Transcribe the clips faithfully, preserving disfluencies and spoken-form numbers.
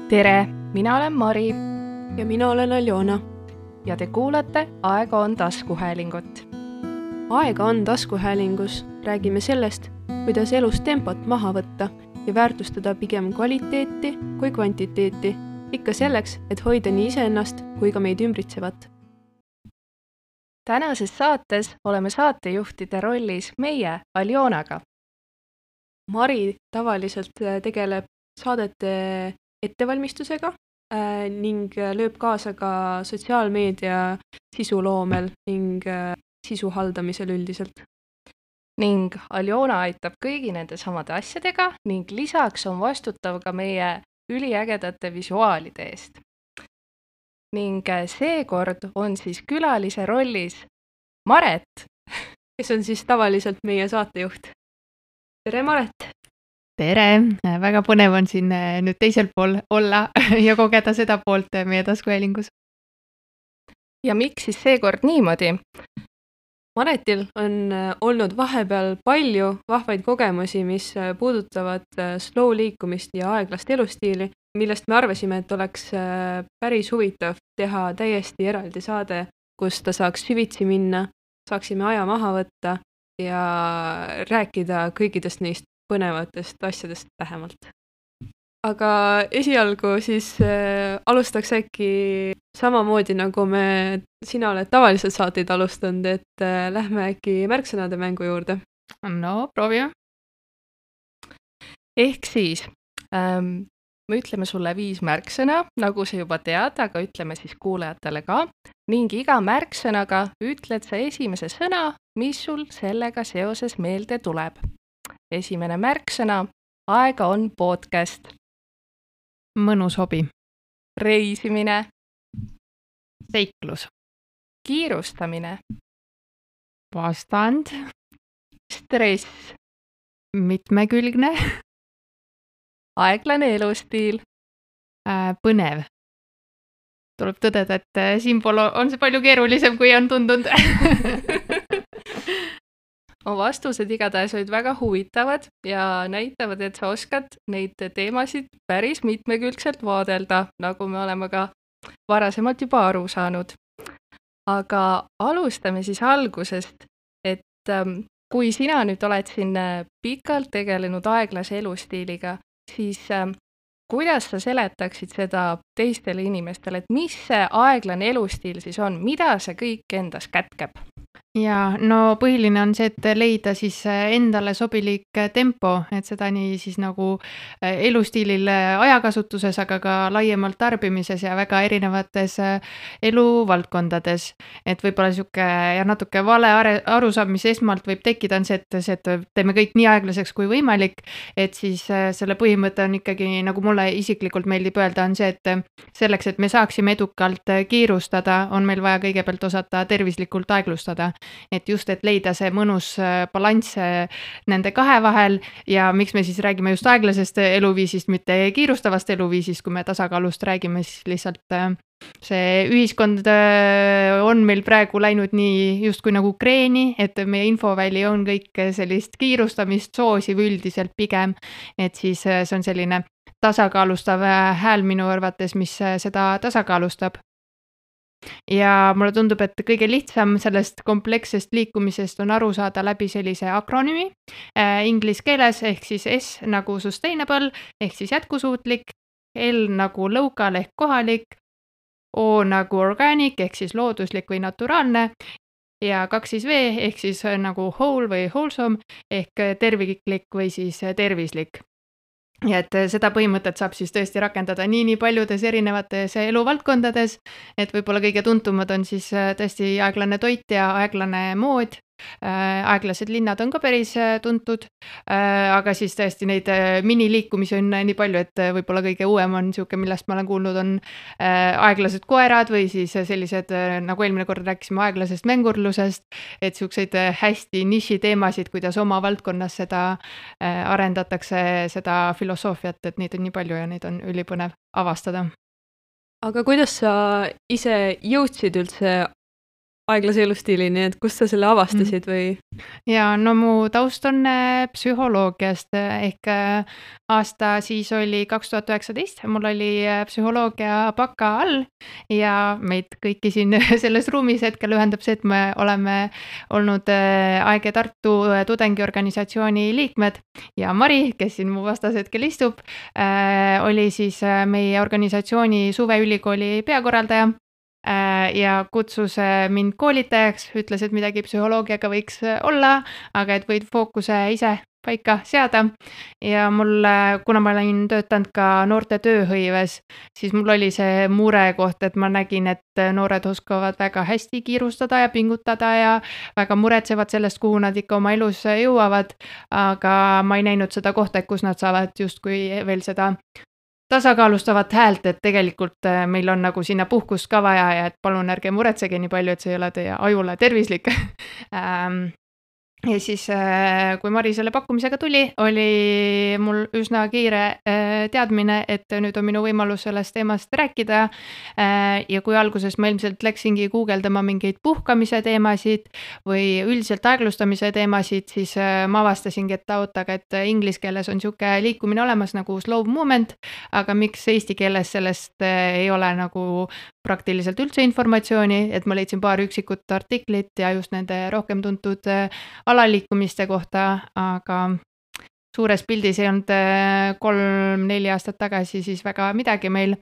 Tere, mina olen Mari ja mina olen Aljona. ja te kuulate Aega on taskuhäälingut. Aega on taskuhäälingus räägime sellest, kuidas elus tempot maha võtta ja väärtustada pigem kvaliteeti kui kvantiteeti, ikka selleks, et hoida nii iseennast kui ka meid ümbritsevat. Tänases saates oleme saatejuhtide rollis meie Aljonaga. Mari tavaliselt tegeleb saadete ettevalmistusega äh, ning lööb kaasa ka sotsiaalmeedia sisuloomel ning äh, sisu haldamisel üldiselt. Ning Aljona aitab kõigi nende samade asjadega ning lisaks on vastutav ka meie üliägedate visuaalide eest. Ning seekord on siis külalise rollis Maret, kes on siis tavaliselt meie saatejuht. Tere Maret! Tere! Väga põnev on siin nüüd teisel pool olla ja kogeda seda poolt meie taskuhäälingus. Ja miks siis seekord niimoodi? Maretil on olnud vahepeal palju vahvaid kogemusi, mis puudutavad slow liikumist ja aeglast elustiili, millest me arvasime, et oleks päris huvitav teha täiesti eraldi saade, kus ta saaks süvitsi minna, saaksime aja maha võtta ja rääkida kõikidest neist põnevatest asjadest lähemalt. Aga esialgu siis äh, alustaks äkki samamoodi, nagu me, sina oled tavaliselt saateid alustanud, et äh, lähme äkki märksõnade mängu juurde. No, proovime. Ehk siis, ähm, me ütleme sulle viis märksõna, nagu sa juba tead, aga ütleme siis kuulajatele ka. Ning iga märksõnaga ütled sa esimese sõna, mis sul sellega seoses meelde tuleb. Esimene märksõna, aega on podcast. Mõnus hobi. Reisimine. Seiklus. Kiirustamine. Vastand. Stress. Mitmekülgne. Aeglane elustiil. Äh, põnev. Tuleb tõdeda, et siinpool on see palju keerulisem, kui on tundunud. Vastused igatahes olid väga huvitavad ja näitavad, et sa oskad neid teemasid päris mitmekülgselt vaadelda, nagu me oleme ka varasemalt juba aru saanud. Aga alustame siis algusest, et ähm, kui sina nüüd oled siin pikalt tegelenud aeglase elustiiliga, siis ähm, kuidas sa seletaksid seda teistele inimestele, et mis see aeglane elustiil siis on, mida see kõik endas kätkeb? Ja no põhiline on see, et leida siis endale sobilik tempo, et seda nii siis nagu elustiilil ajakasutuses, aga ka laiemalt tarbimises ja väga erinevates eluvaldkondades. Et võib-olla siuke ja natuke vale arusaam, mis esmalt võib tekkida, on see, et, see, et teeme kõik nii aeglaseks kui võimalik, et siis selle põhimõte on ikkagi, nagu mulle isiklikult meeldib öelda, on see, et selleks, et me saaksime edukalt kiirustada, on meil vaja kõigepealt osata tervislikult aeglustada. Et just, et leida see mõnus balanss nende kahe vahel ja miks me siis räägime just aeglasest eluviisist, mitte kiirustavast eluviisist, kui me tasakaalust räägime, siis lihtsalt see ühiskond on meil praegu läinud nii justkui nagu kreeni, et meie infoväli on kõik sellist kiirustamist soosiv üldiselt pigem, et siis see on selline tasakaalustav hääl minu arvates, mis seda tasakaalustab. Ja mulle tundub, et kõige lihtsam sellest komplekssest liikumisest on aru saada läbi sellise akronüümi äh, inglis keeles ehk siis S nagu sustainable ehk siis jätkusuutlik, L nagu local ehk kohalik, O nagu organic ehk siis looduslik või naturaalne ja kaks siis V ehk siis nagu whole või wholesome ehk terviklik või siis tervislik. Ja et seda põhimõtet saab siis tõesti rakendada nii nii paljudes erinevates eluvaldkondades, et võib-olla kõige tuntumad on siis tõesti aeglane toit ja aeglane mood. Aeglased linnad on ka päris tuntud, aga siis tõesti neid miniliikumisi on nii palju, et võib-olla kõige uuem on siuke, millest ma olen kuulnud, on aeglased koerad või siis sellised, nagu eelmine kord rääkisime aeglasest mängurlusest, et siukseid hästi niši teemasid, kuidas oma valdkonnas seda arendatakse, seda filosoofiat, et neid on nii palju ja neid on ülipõnev avastada. Aga kuidas sa ise jõudsid üldse aeglase elustiilini, et kust sa selle avastasid või? Ja no mu taust on äh, psühholoogiast äh, ehk äh, aasta siis oli kaks tuhat üheksateist, mul oli äh, psühholoogia baka all ja meid kõiki siin selles ruumis hetkel ühendab see, et me oleme olnud äh, A E G Tartu äh, tudengiorganisatsiooni liikmed ja Mari, kes siin mu vastas hetkel istub, äh, oli siis äh, meie organisatsiooni suveülikooli peakorraldaja ja kutsus mind koolitajaks, ütles, et midagi psühholoogiaga võiks olla, aga et võid fookuse ise paika seada ja mul, kuna ma olin töötanud ka noorte tööhõives, siis mul oli see mure koht, et ma nägin, et noored oskavad väga hästi kiirustada ja pingutada ja väga muretsevad sellest, kuhu nad ikka oma elus jõuavad, aga ma ei näinud seda kohta, et kus nad saavad justkui veel seda tasakaalustavat häält, et tegelikult meil on nagu sinna puhkust ka vaja ja et palun ärge muretsege nii palju, et see ei ole teie ajule tervislik. Ja siis, kui Mari selle pakkumisega tuli, oli mul üsna kiire teadmine, et nüüd on minu võimalus sellest teemast rääkida. Ja kui alguses ma ilmselt läksingi guugeldama mingeid puhkamise teemasid või üldiselt aeglustamise teemasid, siis ma avastasingi, et ootaga, et inglis keeles on siuke liikumine olemas nagu slow movement, aga miks eesti keeles sellest ei ole nagu praktiliselt üldse informatsiooni, et ma leidsin paar üksikut artiklit ja just nende rohkem tuntud alaliikumiste kohta, aga suures pildis ei olnud kolm-neli aastat tagasi siis väga midagi meil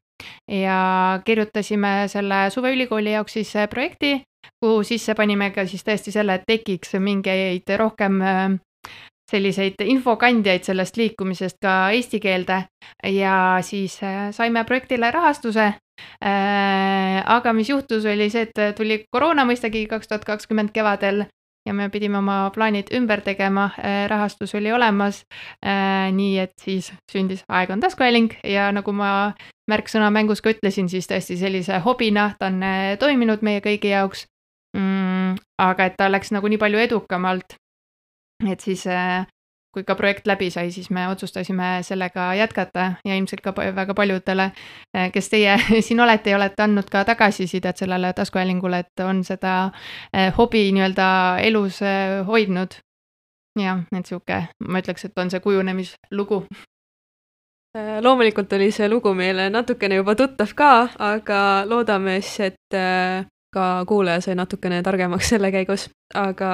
ja kirjutasime selle suveülikooli jaoks siis projekti, kuhu sisse panime ka siis tõesti selle, et tekiks mingeid rohkem selliseid infokandjaid sellest liikumisest ka eesti keelde ja siis saime projektile rahastuse. Aga mis juhtus oli see, et tuli koroona mõistagi kaks tuhat kakskümmend kevadel ja me pidime oma plaanid ümber tegema, rahastus oli olemas, nii et siis sündis Aeg on taskuhääling ja nagu ma märksõna mängus ka ütlesin, siis tõesti sellise hobina ta on toiminud meie kõigi jaoks, mm, aga et ta läks nagu nii palju edukamalt, et siis kui ka projekt läbi sai, siis me otsustasime sellega jätkata ja ilmselt ka väga paljudele, kes teie siin olete ja olete andnud ka tagasisidet sellele taskuhäälingule, et on seda hobi nii-öelda elus hoidnud. Ja, et siuke, ma ütleks, et on see kujunemislugu. Loomulikult oli see lugu meile natukene juba tuttav ka, aga loodame siis, et ka kuulaja sai natukene targemaks selle käigus, aga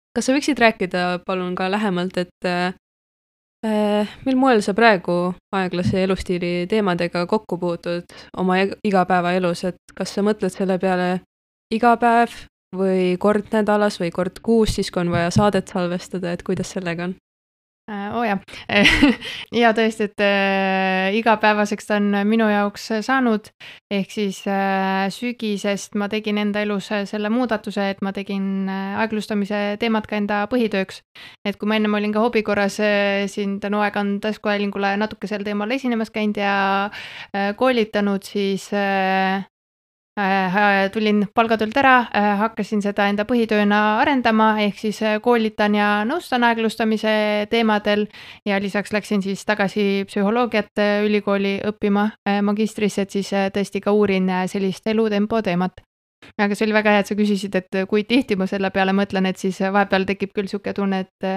kas sa võiksid rääkida palun ka lähemalt, et äh, mil moel sa praegu aeglase elustiili teemadega kokku puutud oma igapäevaelus, et kas sa mõtled selle peale iga päev või kord nädalas või kord kuus, siis kui on vaja saadet salvestada, et kuidas sellega on? Oo jah, ja tõesti, et äh, igapäevaseks ta on minu jaoks saanud, ehk siis äh, sügisest ma tegin enda elus selle muudatuse, et ma tegin aeglustamise teemat ka enda põhitööks. Et kui ma ennem olin ka hobi korras äh, siin tänu Aeg on taskuhäälingule natuke sel teemal esinemas käinud ja äh, koolitanud, siis äh, tulin palgatöölt ära, hakkasin seda enda põhitööna arendama, ehk siis koolitan ja nõustan aeglustamise teemadel ja lisaks läksin siis tagasi psühholoogiat ülikooli õppima magistrisse, et siis tõesti ka uurin sellist elutempo teemat. Aga see oli väga hea, et sa küsisid, et kui tihti ma selle peale mõtlen, et siis vahepeal tekib küll siuke tunne, et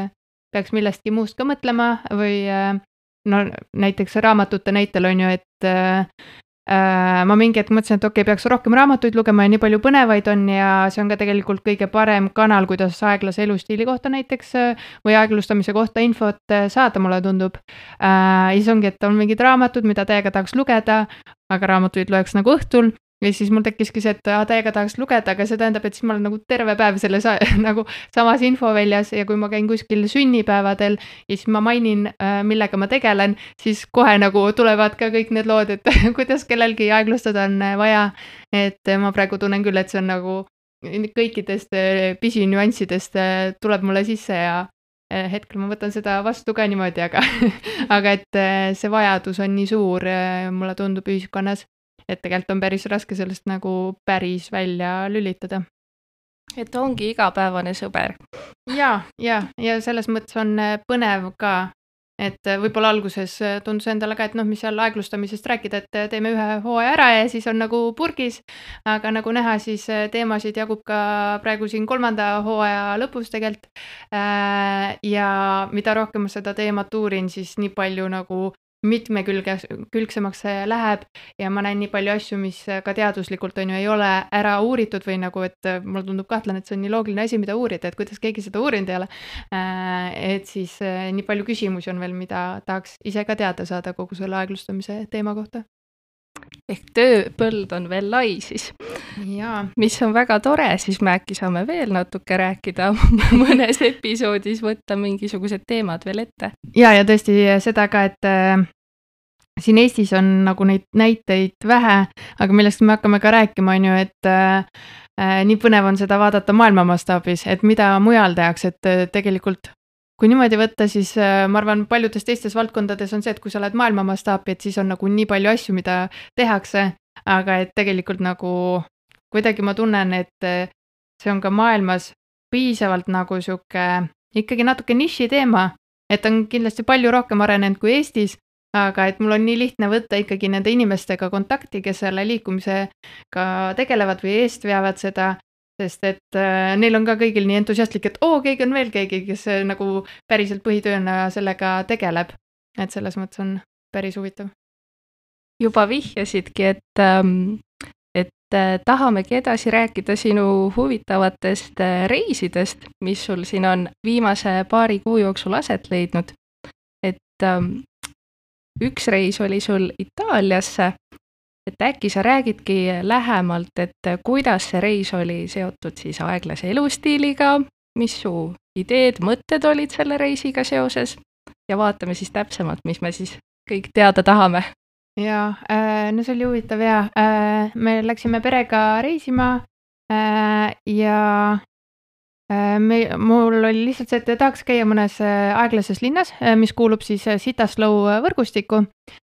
peaks millestki muust ka mõtlema või no näiteks raamatute näitel on ju, et ma mingi hetk mõtlesin, et okei, peaks rohkem raamatuid lugema ja nii palju põnevaid on ja see on ka tegelikult kõige parem kanal, kuidas aeglase elustiili kohta näiteks või aeglustamise kohta infot saada, mulle tundub. Ja siis ongi, et on mingid raamatud, mida täiega tahaks lugeda, aga raamatuid loeks nagu õhtul ja siis mul tekkiski see, et täiega tahaks lugeda, aga see tähendab, et siis ma olen nagu terve päev selles nagu samas infoväljas ja kui ma käin kuskil sünnipäevadel ja siis ma mainin, millega ma tegelen, siis kohe nagu tulevad ka kõik need lood, et kuidas kellelgi aeglustada on vaja, et ma praegu tunnen küll, et see on nagu kõikidest pisinüanssidest tuleb mulle sisse ja hetkel ma võtan seda vastu ka niimoodi, aga, aga et see vajadus on nii suur, mulle tundub ühiskonnas, et tegelikult on päris raske sellest nagu päris välja lülitada. Et ongi igapäevane sõber. Ja, ja, ja selles mõttes on põnev ka et äh, võib-olla alguses äh, tundus endale ka, et noh, mis seal aeglustamisest rääkida, et äh, teeme ühe hooaja ära ja siis on nagu purgis, aga nagu näha, siis äh, teemasid jagub ka praegu siin kolmanda hooaja lõpus tegelikult. Äh, ja mida rohkem ma seda teemat uurin, siis nii palju nagu mitmekülge, külgsemaks see läheb ja ma näen nii palju asju, mis ka teaduslikult on ju ei ole ära uuritud või nagu, et äh, mulle tundub kahtlane, et see on nii loogiline asi, mida uurida, et kuidas keegi seda uurinud ei ole. Äh, et siis äh, nii palju küsimusi on veel, mida tahaks ise ka teada saada kogu selle aeglustamise teema kohta. Ehk tööpõld on veel lai siis. Jaa. Mis on väga tore, siis me äkki saame veel natuke rääkida mõnes episoodis, võtta mingisugused teemad veel ette. Ja, ja tõesti seda ka, et äh, siin Eestis on nagu neid näiteid vähe, aga millest me hakkame ka rääkima, on ju, et äh, äh, nii põnev on seda vaadata maailma mastaabis, et mida mujal tehakse, et äh, tegelikult kui niimoodi võtta, siis äh, ma arvan, paljudes teistes valdkondades on see, et kui sa oled maailma mastaapi, et siis on nagu nii palju asju, mida tehakse, aga et tegelikult nagu kuidagi ma tunnen, et äh, see on ka maailmas piisavalt nagu sihuke ikkagi natuke niši teema, et on kindlasti palju rohkem arenenud kui Eestis, aga et mul on nii lihtne võtta ikkagi nende inimestega kontakti, kes selle liikumisega tegelevad või eest veavad seda, sest et äh, neil on ka kõigil nii entusiastlik, et oo, keegi on veel keegi, kes äh, nagu päriselt põhitööna sellega tegeleb. Et selles mõttes on päris huvitav. Juba vihjasidki, et, ähm, et äh, tahamegi edasi rääkida sinu huvitavatest äh, reisidest, mis sul siin on viimase paari kuu jooksul aset leidnud. Et ähm, üks reis oli sul Itaaliasse, et äkki sa räägidki lähemalt, et kuidas see reis oli seotud siis aeglase elustiiliga, mis su ideed, mõtted olid selle reisiga seoses ja vaatame siis täpsemalt, mis me siis kõik teada tahame. Ja, äh, no see oli huvitav ja äh, me läksime perega reisima äh, ja äh, me, mul oli lihtsalt see, et tahaks käia mõnes äh, aeglases linnas, äh, mis kuulub siis äh, Citaslow võrgustikku.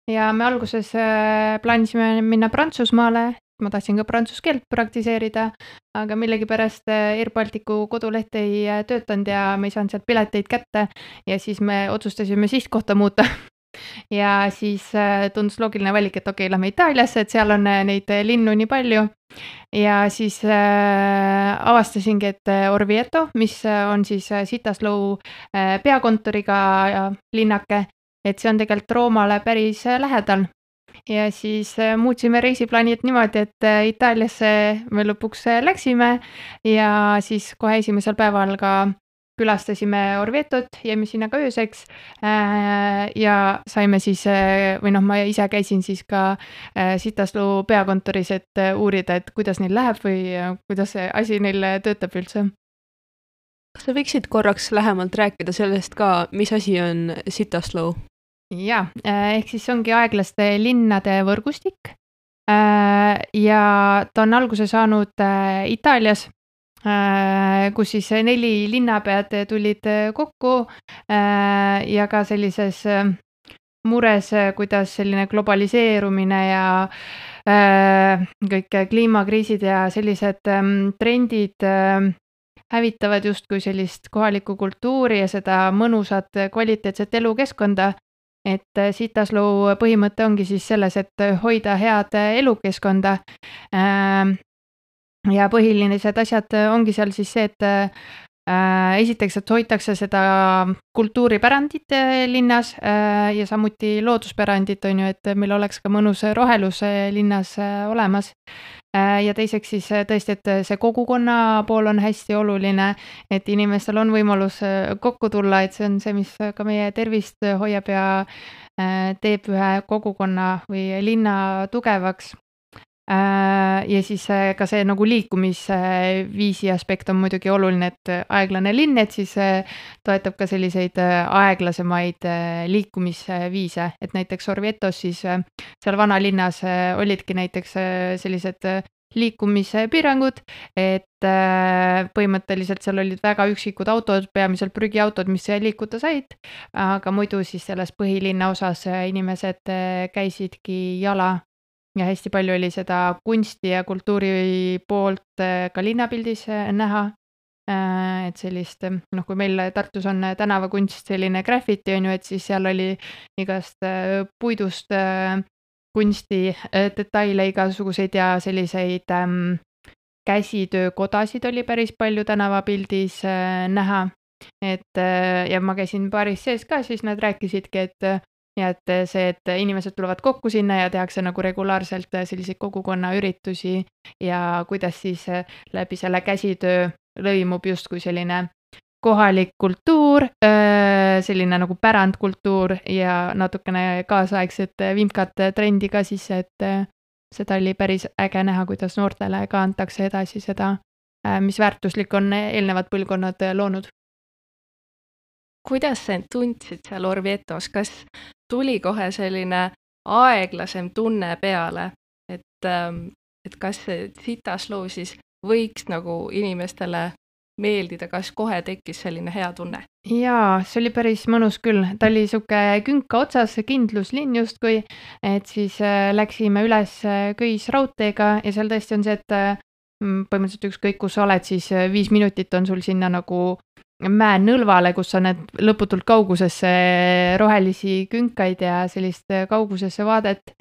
Ja me alguses äh, plaanisime minna Prantsusmaale, ma tahtsin ka prantsuse keelt praktiseerida, aga millegipärast äh, Air Balticu koduleht ei äh, töötanud ja me ei saanud sealt pileteid kätte ja siis me otsustasime sihtkohta muuta. Ja siis äh, tundus loogiline valik, et okei, lähme Itaaliasse, et seal on äh, neid linnu nii palju. Ja siis äh, avastasingi, et äh, Orvieto, mis on siis äh, Citaslow äh, peakontoriga ja linnake, et see on tegelikult Roomale päris lähedal. Ja siis muutsime reisiplaanid niimoodi, et Itaaliasse me lõpuks läksime ja siis kohe esimesel päeval ka külastasime Orvietot, jäime sinna ka ööseks ja saime siis, või noh, ma ise käisin siis ka Citaslow peakontoris, et uurida, et kuidas neil läheb või kuidas see asi neil töötab üldse. Kas sa võiksid korraks lähemalt rääkida sellest ka, mis asi on Citaslow? Ja, ehk siis ongi aeglaste linnade võrgustik ja ta on alguse saanud Itaalias, kus siis neli linnapead tulid kokku ja ka sellises mures, kuidas selline globaliseerumine ja kõik kliimakriisid ja sellised trendid hävitavad justkui sellist kohalikku kultuuri ja seda mõnusat kvaliteetset elukeskkonda. Et Citaslow põhimõte ongi siis selles, et hoida head elukeskkonda ja põhilised asjad ongi seal siis see, et esiteks, et hoitakse seda kultuuripärandit linnas ja samuti looduspärandit on ju, et meil oleks ka mõnus rohelus linnas olemas. Ja teiseks siis tõesti, et see kogukonna pool on hästi oluline, et inimestel on võimalus kokku tulla, et see on see, mis ka meie tervist hoiab ja teeb ühe kogukonna või linna tugevaks. Ja siis ka see nagu liikumisviisi aspekt on muidugi oluline, et aeglane linn, et siis toetab ka selliseid aeglasemaid liikumisviise, et näiteks Orvietos siis seal vanalinnas olidki näiteks sellised liikumispiirangud, et põhimõtteliselt seal olid väga üksikud autod, peamiselt prügiautod, mis liikuda said, aga muidu siis selles põhilinna osas inimesed käisidki jala. Ja hästi palju oli seda kunsti ja kultuuri poolt ka linnapildis näha. et sellist, noh, kui meil Tartus on tänavakunst selline graffiti, on ju, et siis seal oli igast puidust kunsti detaile igasuguseid ja selliseid ähm, käsitöökodasid oli päris palju tänavapildis äh, näha. Et äh, ja ma käisin baaris sees ka, siis nad rääkisidki, et ja et see, et inimesed tulevad kokku sinna ja tehakse nagu regulaarselt selliseid kogukonnaüritusi ja kuidas siis läbi selle käsitöö lõimub justkui selline kohalik kultuur, selline nagu pärandkultuur ja natukene kaasaegset vimkat trendi ka sisse, et seda oli päris äge näha, kuidas noortele ka antakse edasi seda, mis väärtuslik on eelnevad põlvkonnad loonud. Kuidas sa end tundsid seal Orvietos, kas tuli kohe selline aeglasem tunne peale, et, et kas see Citaslow siis võiks nagu inimestele meeldida, kas kohe tekkis selline hea tunne? Jaa, see oli päris mõnus küll. Ta oli siuke künka otsas, kindluslinn justkui, et siis läksime üles köisraudteega ja seal tõesti on see, et põhimõtteliselt ükskõik, kus sa oled, siis viis minutit on sul sinna nagu mäe nõlvale, kus sa näed lõputult kaugusesse rohelisi künkaid ja sellist kaugusesse vaadet,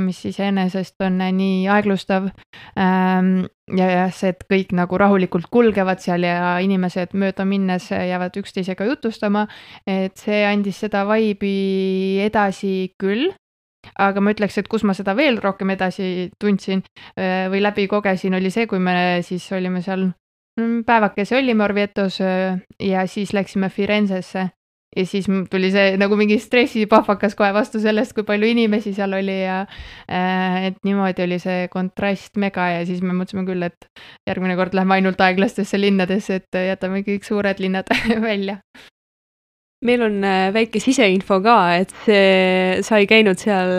mis iseenesest on nii aeglustav. Ja see, et kõik nagu rahulikult kulgevad seal ja inimesed mööda minnes jäävad üksteisega jutustama, et see andis seda vibe'i edasi küll. Aga ma ütleks, et kus ma seda veel rohkem edasi tundsin või läbi kogesin, oli see, kui me siis olime seal päevakese olime Orvietos ja siis läksime Firenzesse ja siis tuli see nagu mingi stressipahvakas kohe vastu sellest, kui palju inimesi seal oli ja et niimoodi oli see kontrast mega ja siis me mõtlesime küll, et järgmine kord lähme ainult aeglastesse linnadesse, et jätame kõik suured linnad välja. Meil on väike siseinfo ka, et see, sa ei käinud seal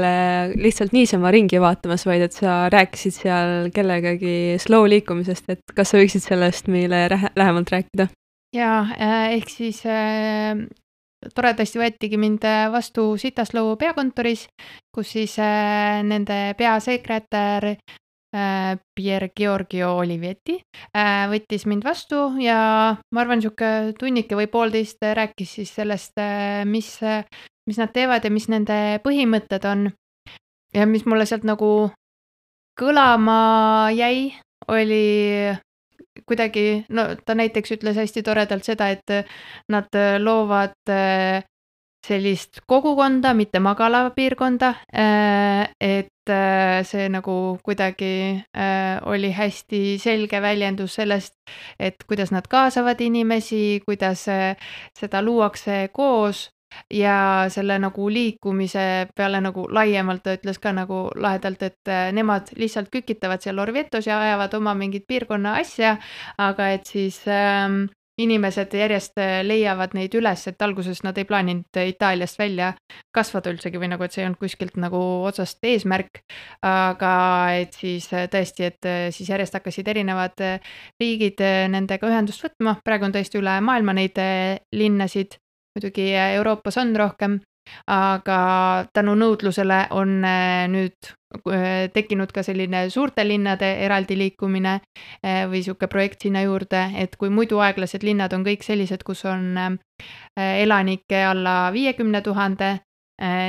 lihtsalt niisama ringi vaatamas, vaid et sa rääkisid seal kellegagi slow liikumisest, et kas sa võiksid sellest meile lähemalt rääkida? Jaa, ehk siis äh, toredasti võetigi mind vastu Citaslow peakontoris, kus siis äh, nende peasekretär Pier Giorgio Olivetti võttis mind vastu ja ma arvan, siuke tunnike või poolteist rääkis siis sellest, mis, mis nad teevad ja mis nende põhimõtted on. Ja mis mulle sealt nagu kõlama jäi, oli kuidagi, no ta näiteks ütles hästi toredalt seda, et nad loovad sellist kogukonda, mitte magalapiirkonda, et see nagu kuidagi oli hästi selge väljendus sellest, et kuidas nad kaasavad inimesi, kuidas seda luuakse koos ja selle nagu liikumise peale nagu laiemalt ta ütles ka nagu lahedalt, et nemad lihtsalt kükitavad seal Orvietos ja ajavad oma mingit piirkonna asja, aga et siis ähm, inimesed järjest leiavad neid üles, et alguses nad ei plaaninud Itaaliast välja kasvada üldsegi või nagu, et see ei olnud kuskilt nagu otsast eesmärk, aga et siis tõesti, et siis järjest hakkasid erinevad riigid nendega ühendust võtma, praegu on tõesti üle maailma neid linnasid, muidugi Euroopas on rohkem, aga tänu nõudlusele on nüüd tekkinud ka selline suurte linnade eraldi liikumine või siuke projekt sinna juurde, et kui muidu aeglased linnad on kõik sellised, kus on elanikke alla viiekümne tuhande,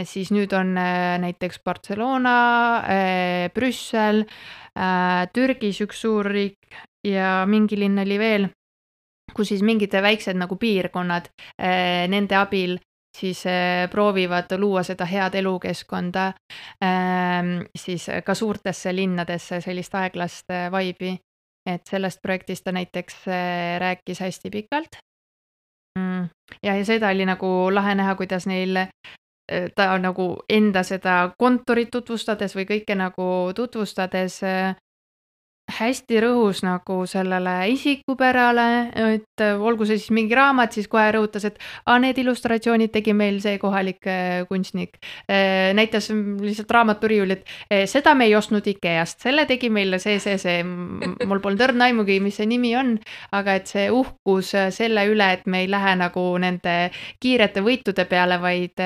siis nüüd on näiteks Barcelona, Brüssel, Türgis üks suur riik ja mingi linn oli veel, kus siis mingid väiksed nagu piirkonnad nende abil siis proovivad luua seda head elukeskkonda siis ka suurtesse linnadesse sellist aeglast vibe'i, et sellest projektist ta näiteks rääkis hästi pikalt. Ja, ja seda oli nagu lahe näha, kuidas neil ta nagu enda seda kontorit tutvustades või kõike nagu tutvustades hästi rõhus nagu sellele isikupärale, et olgu see siis mingi raamat, siis kohe rõhutas, et a, need illustratsioonid tegi meil see kohalik kunstnik. Näitas lihtsalt raamaturiiulit, seda me ei ostnud Ikeast, selle tegi meile see, see, see, mul polnud õrna aimugi, mis see nimi on, aga et see uhkus selle üle, et me ei lähe nagu nende kiirete võitude peale, vaid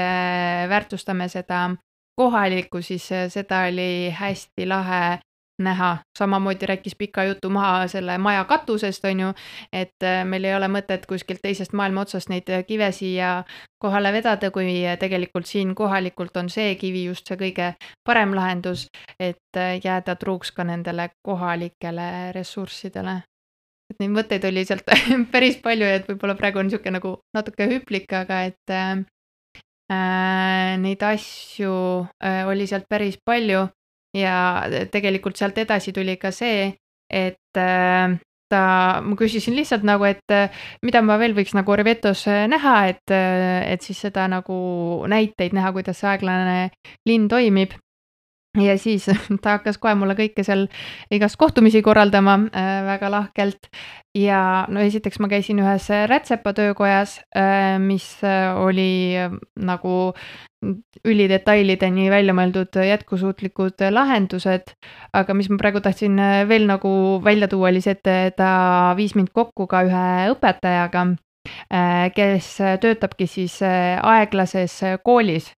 väärtustame seda kohalikku, siis seda oli hästi lahe näha. Samamoodi rääkis pika jutu maha selle maja katusest, on ju, et meil ei ole mõtet kuskilt teisest maailma otsast neid kive siia kohale vedada, kui tegelikult siin kohalikult on see kivi just see kõige parem lahendus, et jääda truuks ka nendele kohalikele ressurssidele. Et neid mõtteid oli sealt päris palju, et võib-olla praegu on niisugune nagu natuke hüplik, aga et äh, neid asju äh, oli sealt päris palju ja tegelikult sealt edasi tuli ka see, et äh, ta, ma küsisin lihtsalt nagu, et mida ma veel võiks nagu Orvetos näha, et, et siis seda nagu näiteid näha, kuidas see aeglane linn toimib. Ja siis ta hakkas kohe mulle kõike seal igast kohtumisi korraldama äh, väga lahkelt. Ja no esiteks ma käisin ühes Rätsepa töökojas, äh, mis oli nagu ülidetailideni välja mõeldud jätkusuutlikud lahendused, aga mis ma praegu tahtsin veel nagu välja tuua, oli see, et ta viis mind kokku ka ühe õpetajaga, äh, kes töötabki siis aeglases koolis.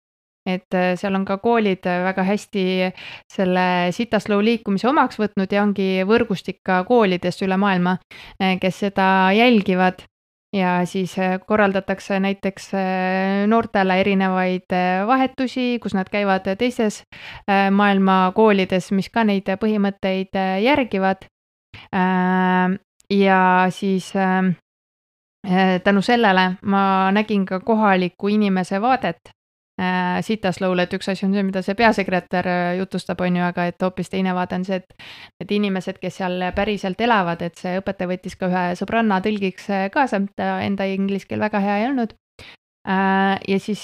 Et seal on ka koolid väga hästi selle Sita Slow liikumise omaks võtnud ja ongi võrgustik ka koolidest üle maailma, kes seda jälgivad ja siis korraldatakse näiteks noortele erinevaid vahetusi, kus nad käivad teistes maailma koolides, mis ka neid põhimõtteid järgivad. Ja siis tänu sellele ma nägin ka kohaliku inimese vaadet Sita Slow'le, et üks asi on see, mida see peasekretär jutustab, on ju, aga et hoopis teine vaade on see, et need inimesed, kes seal päriselt elavad, et see õpetaja võttis ka ühe sõbranna tõlgiks kaasa, ta enda inglise keel väga hea ei olnud. Ja siis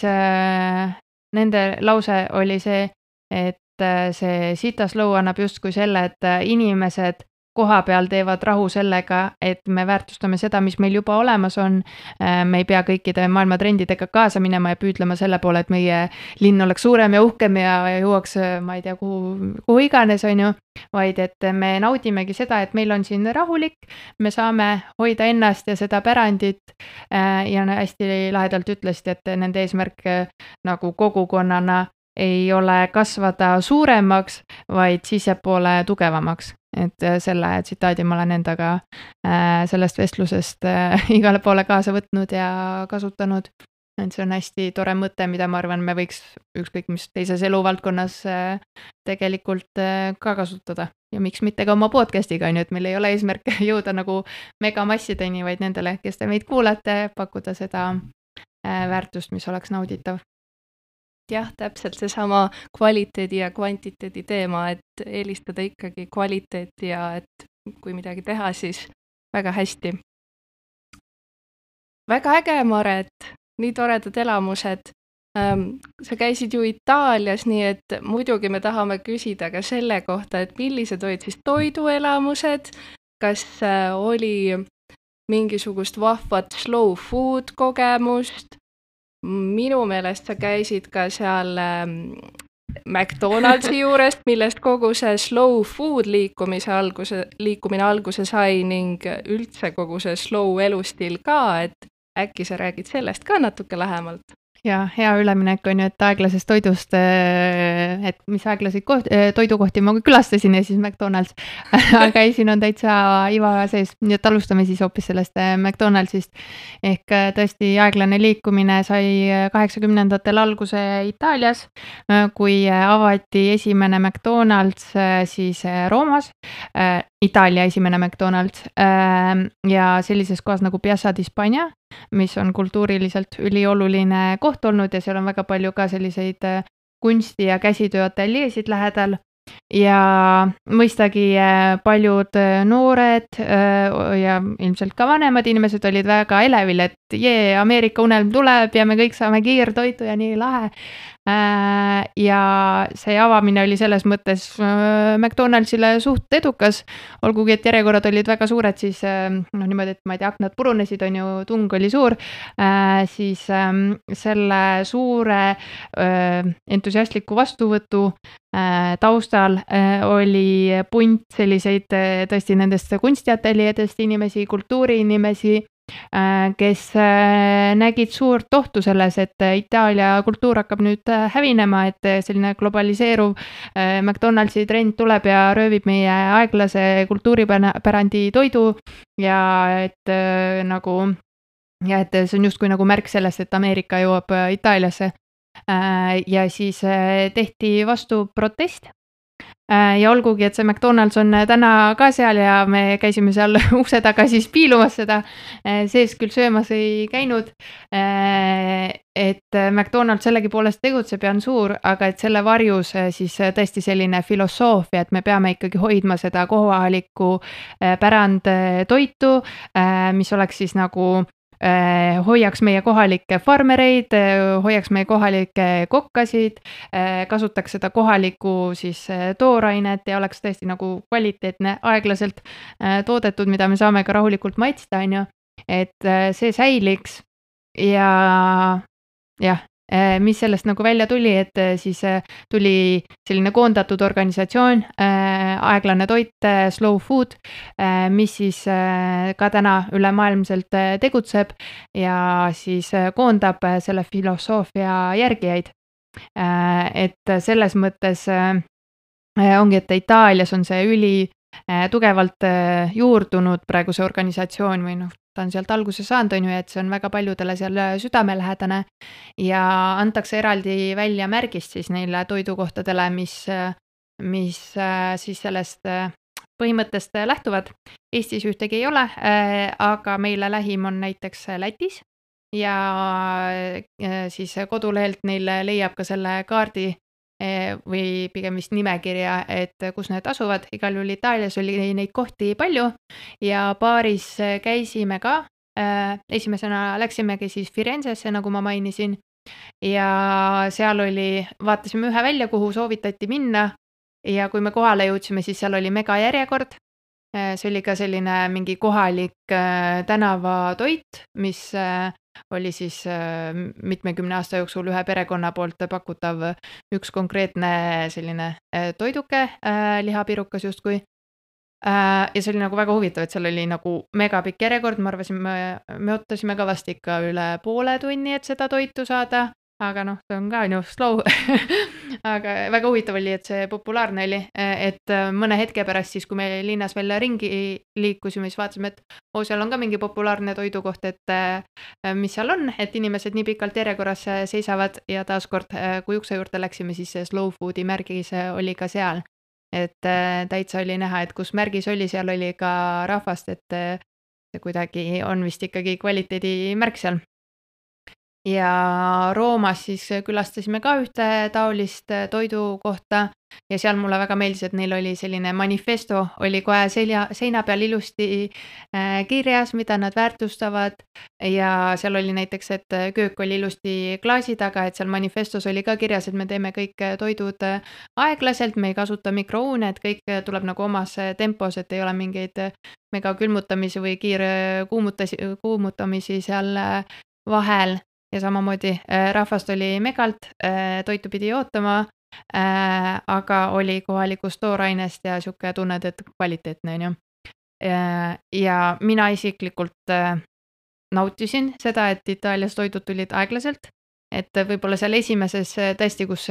nende lause oli see, et see Sita Slow annab justkui selle, et inimesed koha peal teevad rahu sellega, et me väärtustame seda, mis meil juba olemas on. Me ei pea kõikide maailma trendidega kaasa minema ja püüdlema selle poole, et meie linn oleks suurem ja uhkem ja jõuaks, ma ei tea, kuhu, kuhu iganes, on ju, vaid et me naudimegi seda, et meil on siin rahulik, me saame hoida ennast ja seda pärandit ja hästi lahedalt ütlesid, et nende eesmärk nagu kogukonnana ei ole kasvada suuremaks, vaid sissepoole tugevamaks. Et selle tsitaadi ma olen endaga sellest vestlusest igale poole kaasa võtnud ja kasutanud. Et see on hästi tore mõte, mida ma arvan, me võiks ükskõik mis teises eluvaldkonnas tegelikult ka kasutada. Ja miks mitte ka oma podcastiga, on ju, et meil ei ole eesmärk jõuda nagu megamassideni, vaid nendele, kes te meid kuulate, pakkuda seda väärtust, mis oleks nauditav. Jah, täpselt seesama kvaliteedi ja kvantiteedi teema, et eelistada ikkagi kvaliteeti ja et kui midagi teha, siis väga hästi. Väga äge, Maret, nii toredad elamused. Sa käisid ju Itaalias, nii et muidugi me tahame küsida ka selle kohta, et millised olid siis toiduelamused, kas oli mingisugust vahvat slow food kogemust. Minu meelest sa käisid ka seal McDonaldsi juurest, millest kogu see slow food liikumise alguse, liikumine alguse sai ning üldse kogu see slow elustiil ka, et äkki sa räägid sellest ka natuke lähemalt? Ja hea üleminek on ju, et aeglasest toidust, et mis aeglaseid koht, toidukohti ma külastasin ja siis McDonald's, aga ei, siin on täitsa iva sees, nii et alustame siis hoopis sellest McDonaldsist. Ehk tõesti aeglane liikumine sai kaheksakümnendatel alguse Itaalias, kui avati esimene McDonald's siis Roomas, Itaalia esimene McDonald's ja sellises kohas nagu Piazza di Spagna, mis on kultuuriliselt ülioluline koht olnud ja seal on väga palju ka selliseid kunsti- ja käsitööateljeesid lähedal. Ja mõistagi paljud noored ja ilmselt ka vanemad inimesed olid väga elevil, et jee, Ameerika unelm tuleb ja me kõik saame kiirtoitu ja nii lahe. Ja see avamine oli selles mõttes McDonaldsile suht edukas, olgugi et järjekorrad olid väga suured, siis no niimoodi, et ma ei tea, aknad purunesid, on ju, tung oli suur, siis selle suure entusiastliku vastuvõtu taustal oli punt selliseid tõesti nendest kunstiateljeedest inimesi, kultuuriinimesi, kes nägid suurt ohtu selles, et Itaalia kultuur hakkab nüüd hävinema, et selline globaliseeruv McDonaldsi trend tuleb ja röövib meie aeglase kultuuripärandi toidu ja et nagu ja et see on justkui nagu märk sellest, et Ameerika jõuab Itaaliasse. Ja siis tehti vastu protest. Ja olgugi, et see McDonald's on täna ka seal ja me käisime seal ukse taga siis piilumas seda, sees küll söömas ei käinud, et McDonald's sellegi poolest tegutseb ja on suur, aga et selle varjus siis tõesti selline filosoofia, et me peame ikkagi hoidma seda kohalikku pärand toitu, mis oleks siis nagu hoiaks meie kohalikke farmereid, hoiaks meie kohalikke kokkasid, kasutaks seda kohalikku siis toorainet ja oleks tõesti nagu kvaliteetne, aeglaselt toodetud, mida me saame ka rahulikult maitsta, on ju, et see säiliks ja jah, mis sellest nagu välja tuli, et siis tuli selline koondatud organisatsioon, aeglane toit, Slow Food, mis siis ka täna ülemaailmselt tegutseb ja siis koondab selle filosoofia järgijaid. Et selles mõttes ongi, et Itaalias on see üli tugevalt juurdunud praegu see organisatsioon või noh, ta on sealt alguse saanud, on ju, et see on väga paljudele seal südamelähedane ja antakse eraldi välja märgist siis neile toidukohtadele, mis, mis siis sellest põhimõttest lähtuvad. Eestis ühtegi ei ole, aga meile lähim on näiteks Lätis ja siis kodulehelt neil leiab ka selle kaardi või pigem vist nimekirja, et kus need asuvad. Igal juhul Itaalias oli neid kohti palju ja paaris käisime ka. Esimesena läksimegi siis Firenzesse, nagu ma mainisin, ja seal oli, vaatasime ühe välja, kuhu soovitati minna ja kui me kohale jõudsime, siis seal oli mega järjekord. See oli ka selline mingi kohalik tänavatoit, mis oli siis mitmekümne aasta jooksul ühe perekonna poolt pakutav üks konkreetne selline toiduke, lihapirukas justkui. Ja see oli nagu väga huvitav, et seal oli nagu mega pikk järjekord, ma arvasime, me ootasime ka vast ikka üle poole tunni, et seda toitu saada, aga noh, see on ka ju slow. Aga väga huvitav oli, et see populaarne oli, et mõne hetke pärast siis, kui me linnas veel ringi liikusime, siis vaatasime, et oo, seal on ka mingi populaarne toidukoht, et mis seal on, et inimesed nii pikalt järjekorras seisavad ja taaskord, kui ukse juurde läksime, siis see Slow Foodi märgis oli ka seal. Et täitsa oli näha, et kus märgis oli, seal oli ka rahvast, et see kuidagi on vist ikkagi kvaliteedi märk seal. Ja Roomas siis külastasime ka ühte taolist toidukohta ja seal mulle väga meeldis, et neil oli selline manifesto, oli kohe selja, seina peal ilusti kirjas, mida nad väärtustavad ja seal oli näiteks, et köök oli ilusti klaasi taga, et seal manifestos oli ka kirjas, et me teeme kõik toidud aeglaselt, me ei kasuta mikrouune, et kõik tuleb nagu omas tempos, et ei ole mingeid mega külmutamisi või kiire kuumutamisi, kuumutamisi seal vahel. Ja samamoodi rahvast oli megalt, toitu pidi ootama, aga oli kohalikust toorainest ja siuke tunned, et kvaliteetne on ju. Ja mina isiklikult nautisin seda, et Itaalias toidud tulid aeglaselt, et võib-olla seal esimeses tõesti, kus,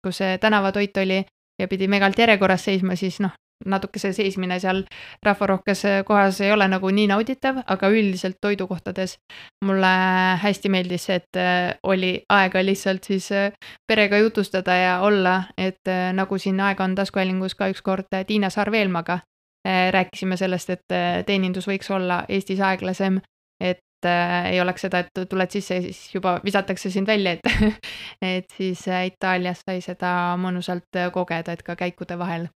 kus tänavatoit oli ja pidi megalt järjekorras seisma, siis noh, natuke see seismine seal rahvarohkes kohas ei ole nagu nii nauditav, aga üldiselt toidukohtades mulle hästi meeldis, et oli aega lihtsalt siis perega jutustada ja olla, et nagu siin Aega on taskuhäälingus ka ükskord Tiina Sarveelmaga rääkisime sellest, et teenindus võiks olla Eestis aeglasem, et ei oleks seda, et tuled sisse ja siis juba visatakse sind välja, et, et siis Itaalias sai seda mõnusalt kogeda, et ka käikude vahel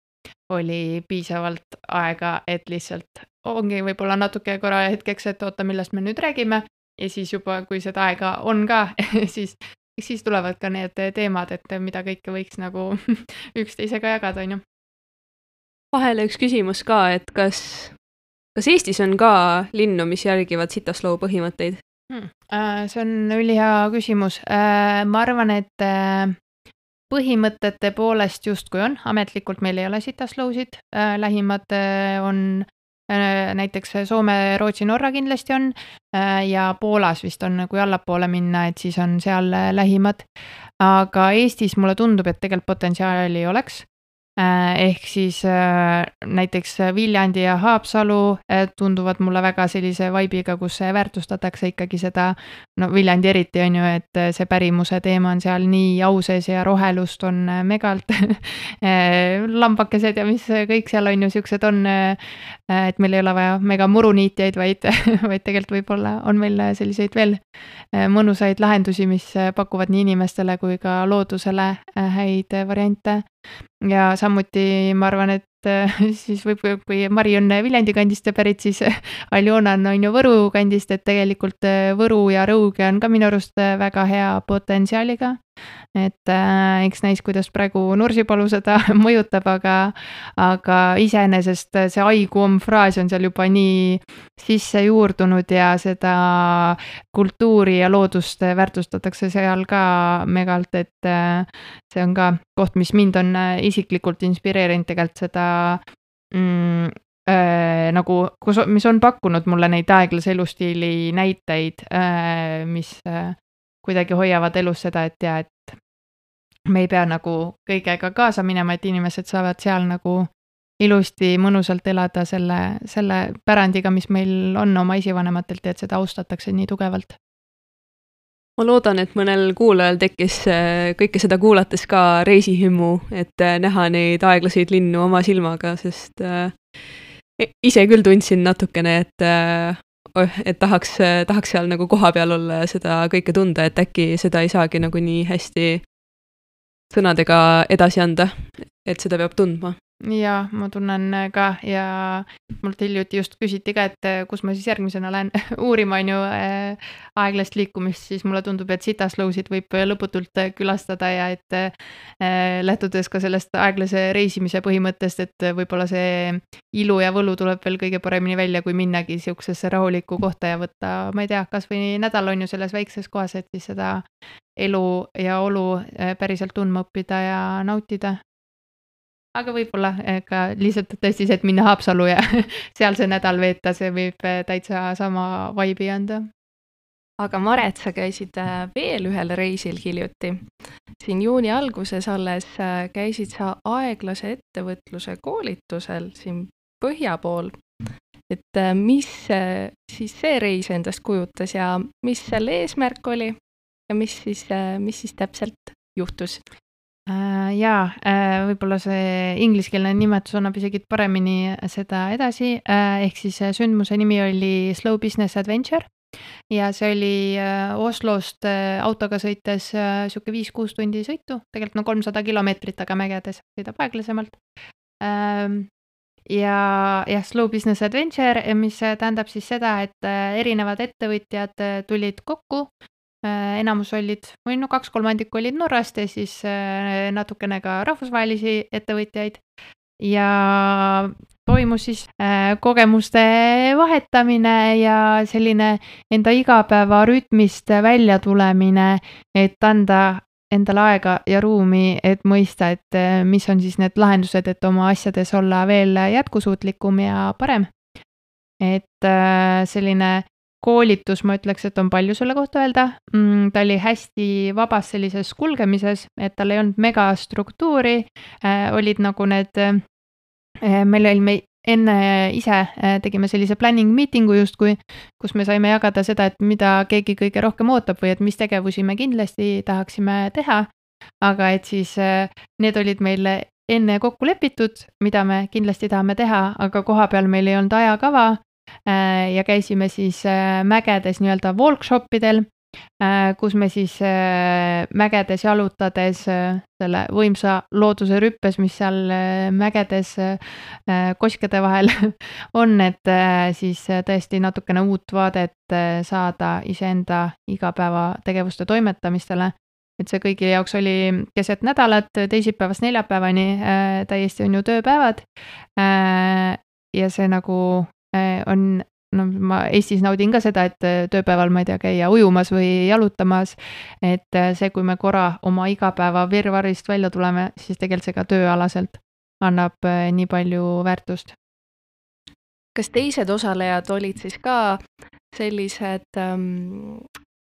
oli piisavalt aega, et lihtsalt ongi võib-olla natuke korra hetkeks, et oota, millest me nüüd räägime ja siis juba, kui seda aega on ka, siis, siis tulevad ka need teemad, et mida kõike võiks nagu üksteisega jagada, on ju. Vahele üks küsimus ka, et kas, kas Eestis on ka linnu, mis järgivad Citaslow põhimõtteid? Hmm. See on ülihea küsimus. Ma arvan, et põhimõtete poolest justkui on, ametlikult meil ei ole Citaslowsid, lähimad on näiteks Soome, Rootsi, Norra kindlasti on ja Poolas vist on, kui allapoole minna, et siis on seal lähimad. Aga Eestis mulle tundub, et tegelikult potentsiaali oleks. Ehk siis näiteks Viljandi ja Haapsalu tunduvad mulle väga sellise vaibiga, kus väärtustatakse ikkagi seda, no Viljandi eriti on ju, et see pärimuse teema on seal nii au sees ja rohelust on megalt, lambakesed ja mis kõik seal on ju siuksed on, et meil ei ole vaja mega muruniitjaid, vaid, vaid tegelikult võib-olla on meil selliseid veel mõnusaid lahendusi, mis pakuvad nii inimestele kui ka loodusele häid variante. Ja samuti ma arvan, et siis võib, kui Mari on Viljandi kandist pärit, siis Aljona on ju Võru kandist, et tegelikult Võru ja Rõuge on ka minu arust väga hea potentsiaaliga. Et äh, eks näis, kuidas praegu Nursipalu seda mõjutab, aga, aga iseenesest see aiguom fraas on seal juba nii sisse juurdunud ja seda kultuuri ja loodust väärtustatakse seal ka megalt, et äh, see on ka koht, mis mind on isiklikult inspireerinud tegelikult seda mm, äh, nagu, kus, mis on pakkunud mulle neid aeglase elustiili näiteid, äh, mis äh, kuidagi hoiavad elus seda, et ja, et me ei pea nagu kõigega kaasa minema, et inimesed saavad seal nagu ilusti mõnusalt elada selle, selle pärandiga, mis meil on oma esivanematelt ja et seda austatakse nii tugevalt. Ma loodan, et mõnel kuulajal tekkis kõike seda kuulates ka reisihimmu, et näha neid aeglaseid linnu oma silmaga, sest ise küll tundsin natukene, et et tahaks, tahaks seal nagu koha peal olla ja seda kõike tunda, et äkki seda ei saagi nagu nii hästi sõnadega edasi anda, et seda peab tundma. Ja ma tunnen ka ja mult hiljuti just küsiti ka, et kus ma siis järgmisena lähen uurima on ju aeglast liikumist, siis mulle tundub, et Sitaslowsid võib lõputult külastada ja et lähtudes ka sellest aeglase reisimise põhimõttest, et võib-olla see ilu ja võlu tuleb veel kõige paremini välja, kui minnagi siuksesse rahulikku kohta ja võtta, ma ei tea, kas või nädal on ju selles väikses kohas, et siis seda elu ja olu päriselt tundma õppida ja nautida. Aga võib-olla ka lihtsalt tõesti see, et minna Haapsalu ja seal see nädal veeta, see võib täitsa sama vaibi anda. Aga Maret, sa käisid veel ühel reisil hiljuti. Siin juuni alguses alles käisid sa aeglase ettevõtluse koolitusel siin põhja pool. Et mis siis see reis endast kujutas ja mis selle eesmärk oli ja mis siis, mis siis täpselt juhtus? Jaa, võib-olla see ingliskeelne nimetus annab isegi paremini seda edasi, ehk siis sündmuse nimi oli Slow Business Adventure ja see oli Oslost autoga sõites siuke viis-kuus tundi sõitu, tegelikult no kolmsada kilomeetrit, aga mägedes sõidab aeglasemalt. Ja, ja Slow Business Adventure, mis tähendab siis seda, et erinevad ettevõtjad tulid kokku, enamus olid, või no kaks kolmandikku olid Norrast ja siis natukene ka rahvusvahelisi ettevõtjaid ja toimus siis kogemuste vahetamine ja selline enda igapäeva rütmist välja tulemine, et anda endale aega ja ruumi, et mõista, et mis on siis need lahendused, et oma asjades olla veel jätkusuutlikum ja parem. Et selline koolitus, ma ütleks, et on palju selle kohta öelda. Ta oli hästi vabas sellises kulgemises, et tal ei olnud mega struktuuri, olid nagu need, meil oli me enne ise tegime sellise planning meetingu justkui, kus me saime jagada seda, et mida keegi kõige rohkem ootab või et mis tegevusi me kindlasti tahaksime teha, aga et siis need olid meil enne kokku lepitud, mida me kindlasti tahame teha, aga koha peal meil ei olnud ajakava, ja käisime siis mägedes nii-öelda workshopidel, kus me siis mägedes jalutades selle võimsa looduse rüppes, mis seal mägedes koskede vahel on, et siis tõesti natukene uut vaadet saada iseenda igapäeva tegevuste toimetamistele. Et see kõigi jaoks oli keset nädalat, teisipäevast neljapäevani täiesti on ju tööpäevad ja see nagu on, no ma Eestis naudin ka seda, et tööpäeval ma ei tea käia ujumas või jalutamas, et see, kui me korra oma igapäeva virvarist välja tuleme, siis tegelikult see ka tööalaselt annab nii palju väärtust. kas teised osalejad olid siis ka sellised,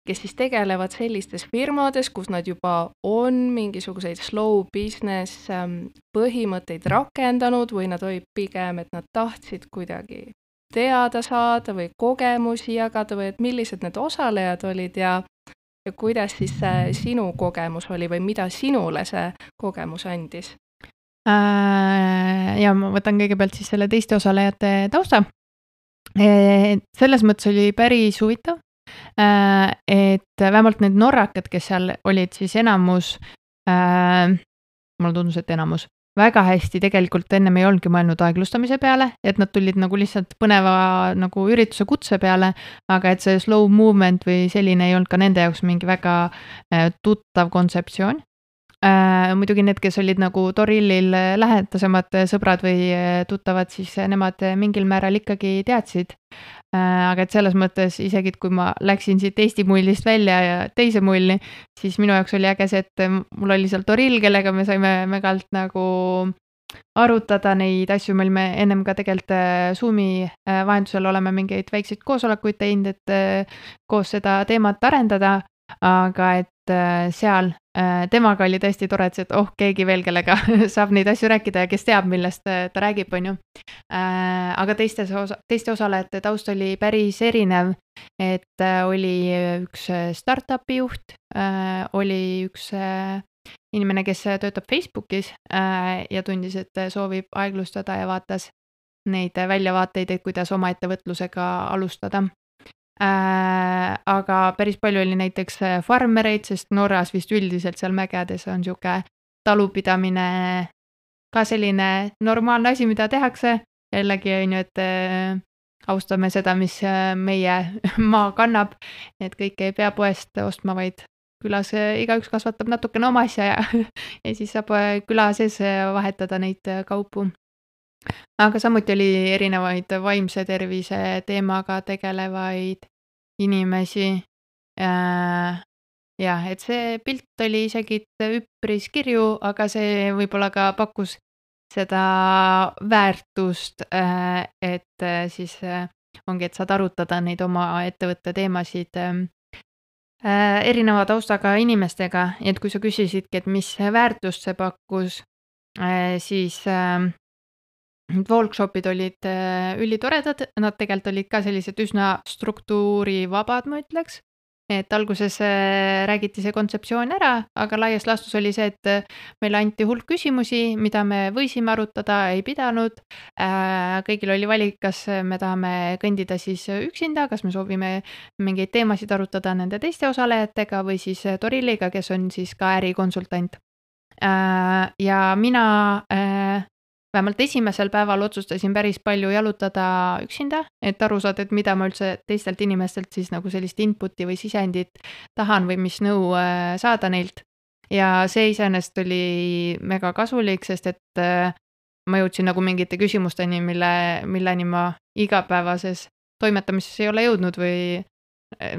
kes siis tegelevad sellistes firmades, kus nad juba on mingisuguseid slow business põhimõtteid rakendanud või nad olid pigem, et nad tahtsid kuidagi teada saada või kogemusi jagada või et millised need osalejad olid ja, ja kuidas siis see sinu kogemus oli või mida sinule see kogemus andis? Ja ma võtan kõigepealt siis selle teiste osalejate tausta. Selles mõttes oli päris huvitav, et vähemalt need norrakad, kes seal olid siis enamus, mulle tundus, et enamus, väga hästi tegelikult ennem ei olnudki mõelnud aeglustamise peale, et nad tulid nagu lihtsalt põneva nagu ürituse kutse peale, aga et see slow movement või selline ei olnud ka nende jaoks mingi väga tuttav kontseptsioon. Äh, muidugi need, kes olid nagu Torillil lähedasemad sõbrad või tuttavad, siis nemad mingil määral ikkagi teadsid. Äh, aga et selles mõttes isegi, kui ma läksin siit Eesti mullist välja ja teise mulli, siis minu jaoks oli äge see, et mul oli seal Torill, kellega me saime megalt nagu arutada neid asju, meil me ennem ka tegelikult Zoomi vahendusel oleme mingeid väikseid koosolekuid teinud, et koos seda teemat arendada, aga et seal temaga oli tõesti tore, et oh, keegi veel, kellega saab neid asju rääkida ja kes teab, millest ta räägib, on ju. Aga teistes osa, teiste osalejate taust oli päris erinev, et oli üks startupi juht, oli üks inimene, kes töötab Facebookis ja tundis, et soovib aeglustada ja vaatas neid väljavaateid, et kuidas oma ettevõtlusega alustada. Äh, aga päris palju oli näiteks farmereid, sest Norras vist üldiselt seal mägedes on siuke talupidamine ka selline normaalne asi, mida tehakse. Jällegi on ju, et äh, austame seda, mis meie maa kannab, et kõike ei pea poest ostma, vaid külas igaüks kasvatab natukene oma asja ja, ja siis saab küla sees vahetada neid kaupu. Aga samuti oli erinevaid vaimse tervise teemaga tegelevaid inimesi. Äh, jah, et see pilt oli isegi üpris kirju, aga see võib-olla ka pakkus seda väärtust, äh, et siis äh, ongi, et saad arutada neid oma ettevõtte teemasid äh, erineva taustaga inimestega. Et kui sa küsisidki, et mis väärtust see pakkus, äh, siis äh, workshopid olid ülitoredad, nad tegelikult olid ka sellised üsna struktuurivabad, ma ütleks. Et alguses räägiti see kontseptsioon ära, aga laias laastus oli see, et meile anti hulk küsimusi, mida me võisime arutada, ei pidanud. Kõigil oli valik, kas me tahame kõndida siis üksinda, kas me soovime mingeid teemasid arutada nende teiste osalejatega või siis Torilliga, kes on siis ka ärikonsultant. Ja mina vähemalt esimesel päeval otsustasin päris palju jalutada üksinda, et aru saada, et mida ma üldse teistelt inimestelt siis nagu sellist inputi või sisendit tahan või mis nõu saada neilt. Ja see iseenesest oli mega kasulik, sest et ma jõudsin nagu mingite küsimusteni, mille, milleni ma igapäevases toimetamises ei ole jõudnud või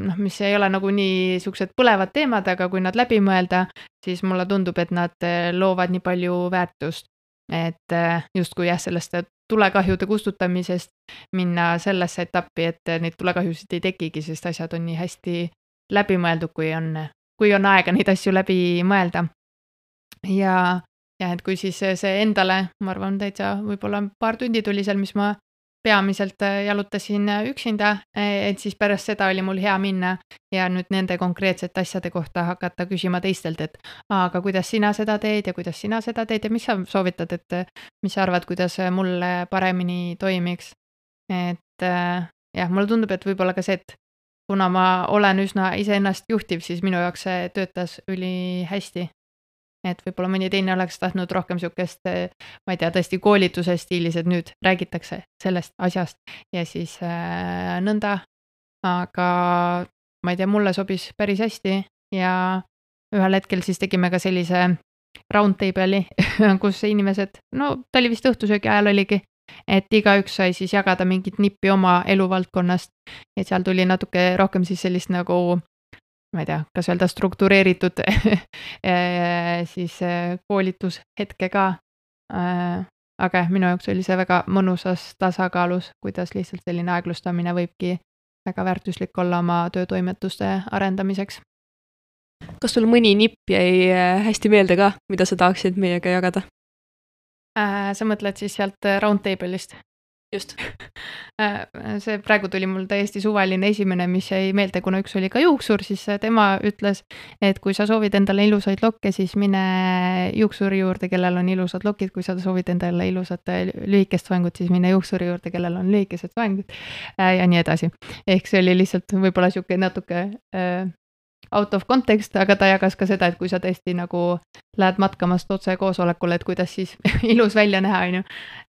noh, mis ei ole nagu nii suksed põlevad teemad, aga kui nad läbi mõelda, siis mulle tundub, et nad loovad nii palju väärtust. Et just kui jah, sellest tulekahjude kustutamisest minna sellesse etappi, et neid tulekahjusid ei tekigi, sest asjad on nii hästi läbi mõeldud, kui on, kui on aega neid asju läbi mõelda. Ja, ja et kui siis see endale, ma arvan, täitsa võib-olla paar tundi tuli seal, mis ma peamiselt jalutasin üksinda, et siis pärast seda oli mul hea minna ja nüüd nende konkreetsete asjade kohta hakata küsima teistelt, et aga kuidas sina seda teed ja kuidas sina seda teed ja mis sa soovitad, et mis sa arvad, kuidas mulle paremini toimiks. Et jah, mulle tundub, et võib-olla ka see, et kuna ma olen üsna iseennast juhtiv, siis minu jaoks see töötas üli hästi. Et võib-olla mõni teine oleks tahtnud rohkem siukest, ma ei tea, tõesti koolituse stiilis, et nüüd räägitakse sellest asjast ja siis äh, nõnda. Aga ma ei tea, mulle sobis päris hästi ja ühel hetkel siis tegime ka sellise roundtable'i, kus inimesed, no ta oli vist õhtusöögi ajal oligi, et igaüks sai siis jagada mingit nippi oma eluvaldkonnast ja seal tuli natuke rohkem siis sellist nagu ma ei tea, kas öelda struktureeritud siis koolitushetke ka. aga jah, minu jaoks oli see väga mõnusas tasakaalus, kuidas lihtsalt selline aeglustamine võibki väga väärtuslik olla oma töötoimetuste arendamiseks. Kas sul mõni nipp jäi hästi meelde ka, mida sa tahaksid meiega jagada? Äh, sa mõtled siis sealt Roundtable'ist? Just. See praegu tuli mul täiesti suvaline esimene, mis jäi meelde, kuna üks oli ka juuksur, siis tema ütles, et kui sa soovid endale ilusaid lokke, siis mine juuksuri juurde, kellel on ilusad lokid, kui sa soovid endale ilusat lühikest soengut, siis mine juuksuri juurde, kellel on lühikesed soengud ja nii edasi. Ehk see oli lihtsalt võib-olla siuke natuke äh, out of context, aga ta jagas ka seda, et kui sa tõesti nagu lähed matkamast otse koosolekule, et kuidas siis ilus välja näha, on ju.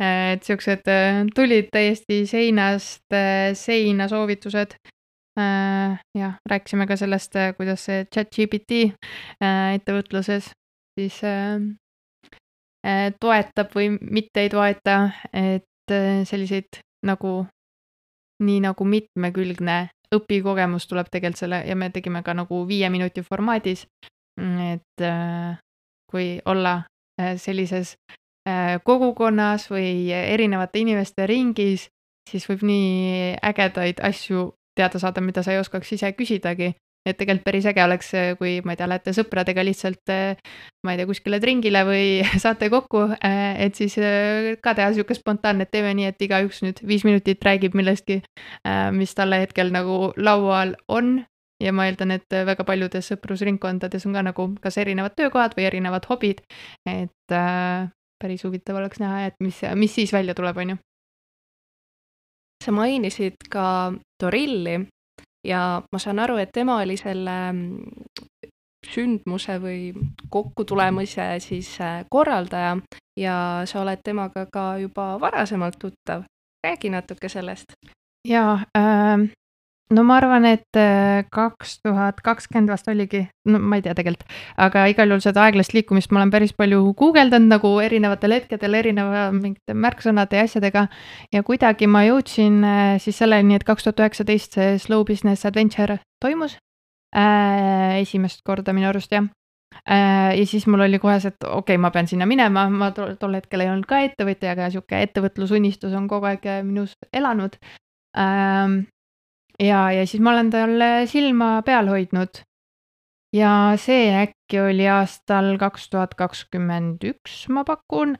Et siuksed tulid täiesti seinast seina soovitused. Ja rääkisime ka sellest, kuidas see ChatGPT ettevõtluses siis toetab või mitte ei toeta, et selliseid nagu nii nagu mitmekülgne õpikogemus tuleb tegelikult selle ja me tegime ka nagu viie minuti formaadis, et kui olla sellises kogukonnas või erinevate inimeste ringis, siis võib nii ägedaid asju teada saada, mida sa ei oskaks ise küsidagi. Et tegelikult päris äge oleks, kui ma ei tea, lähete sõpradega lihtsalt, ma ei tea, kuskile tringile või saate kokku, et siis ka teha siuke spontaanne, et teeme nii, et igaüks nüüd viis minutit räägib millestki, mis talle hetkel nagu laual on. Ja ma eeldan, et väga paljudes sõprusringkondades on ka nagu kas erinevad töökohad või erinevad hobid, et päris huvitav oleks näha, et mis, mis siis välja tuleb, on ju. Sa mainisid ka Torilli. Ja ma saan aru, et tema oli selle sündmuse või kokkutulemise siis korraldaja ja sa oled temaga ka juba varasemalt tuttav. Räägi natuke sellest. Jaa, äh, no ma arvan, et kaks tuhat kakskümmend vast oligi, no ma ei tea tegelikult, aga igal juhul seda aeglast liikumist ma olen päris palju guugeldanud nagu erinevatel hetkedel erineva mingite märksõnade ja asjadega ja kuidagi ma jõudsin siis selleni, et kaks tuhat üheksateist see Slow Business Adventure toimus äh, esimest korda minu arust jah. Äh, ja siis mul oli kohe see, et okei, okay, ma pean sinna minema, ma tol, tol hetkel ei olnud ka ettevõtja, aga siuke ettevõtlusunistus on kogu aeg minus elanud. Ähm, Ja, ja siis ma olen talle silma peal hoidnud ja see äkki oli aastal kaks tuhat kakskümmend üks, ma pakun,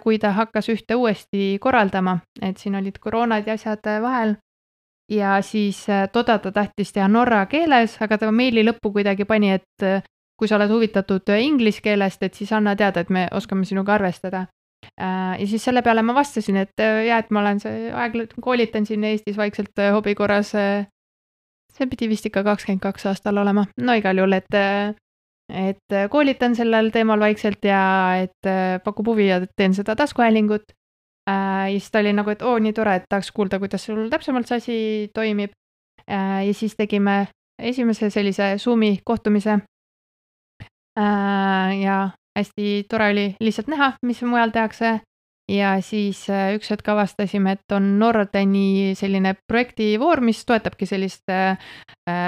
kui ta hakkas ühte uuesti korraldama, et siin olid koroonad ja asjad vahel ja siis toda ta tahtis teha norra keeles, aga ta meili lõppu kuidagi pani, et kui sa oled huvitatud inglise keelest, et siis anna teada, et me oskame sinuga arvestada. Ja siis selle peale ma vastasin, et jah, et ma olen see aeg, koolitan siin Eestis vaikselt hobi korras, see pidi vist ikka kakskümmend kaks aastal olema, no igal juhul, et, et koolitan sellel teemal vaikselt ja et pakub huvi ja teen seda taskuhäälingut. Ja siis ta oli nagu, et oo, nii tore, et tahaks kuulda, kuidas sul täpsemalt see asi toimib. Ja siis tegime esimese sellise Zoomi kohtumise ja hästi tore oli lihtsalt näha, mis mujal tehakse ja siis üks hetk avastasime, et on Nordeni selline projektivoor, mis toetabki sellist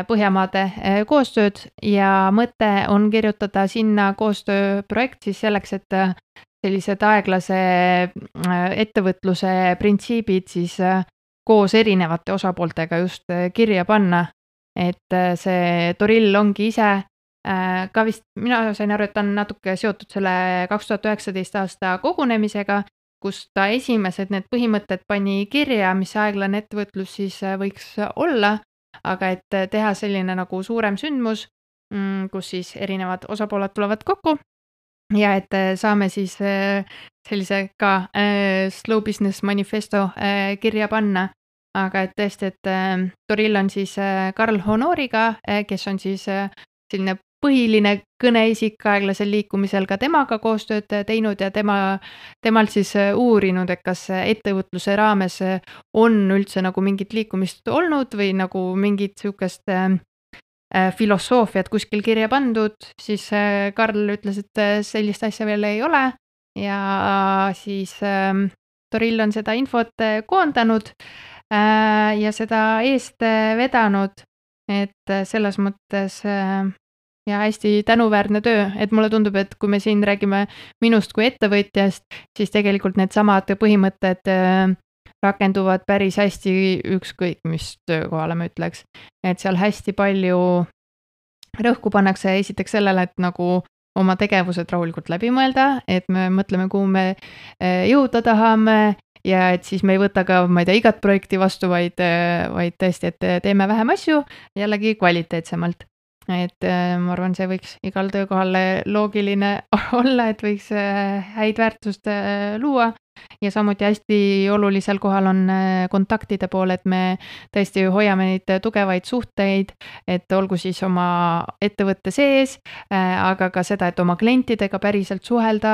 Põhjamaade koostööd ja mõte on kirjutada sinna koostööprojekt siis selleks, et sellised aeglase ettevõtluse printsiibid siis koos erinevate osapooltega just kirja panna, et see Torill ongi ise ka vist, mina sain aru, et ta on natuke seotud selle kaks tuhat üheksateist aasta kogunemisega, kus ta esimesed need põhimõtted pani kirja, mis aeglane ettevõtlus siis võiks olla, aga et teha selline nagu suurem sündmus, kus siis erinevad osapooled tulevad kokku ja et saame siis sellise ka Slow Business Manifesto kirja panna, aga et tõesti, et Torill on siis Karl Honoriga, kes on siis selline põhiline kõneisik aeglasel liikumisel ka temaga koostööd teinud ja tema, temalt siis uurinud, et kas ettevõtluse raames on üldse nagu mingit liikumist olnud või nagu mingit siukest filosoofiat kuskil kirja pandud, siis Karl ütles, et sellist asja veel ei ole ja siis Torill on seda infot koondanud ja seda eest vedanud, et selles mõttes ja hästi tänuväärne töö, et mulle tundub, et kui me siin räägime minust kui ettevõtjast, siis tegelikult need samad põhimõtted äh, rakenduvad päris hästi ükskõik, mis töökohale ma ütleks. Et seal hästi palju rõhku pannakse esiteks sellele, et nagu oma tegevused rahulikult läbi mõelda, et me mõtleme, kuhu me äh, jõuda tahame, ja et siis me ei võta ka, ma ei tea, igat projekti vastu, vaid, vaid tõesti, et teeme vähem asju, jällegi kvaliteetsemalt. Et ma arvan, see võiks igal töökohal loogiline olla, et võiks häid väärtust luua. Ja samuti hästi olulisel kohal on kontaktide pool, et me tõesti hoiame neid tugevaid suhteid, et olgu siis oma ettevõtte sees, aga ka seda, et oma klientidega päriselt suhelda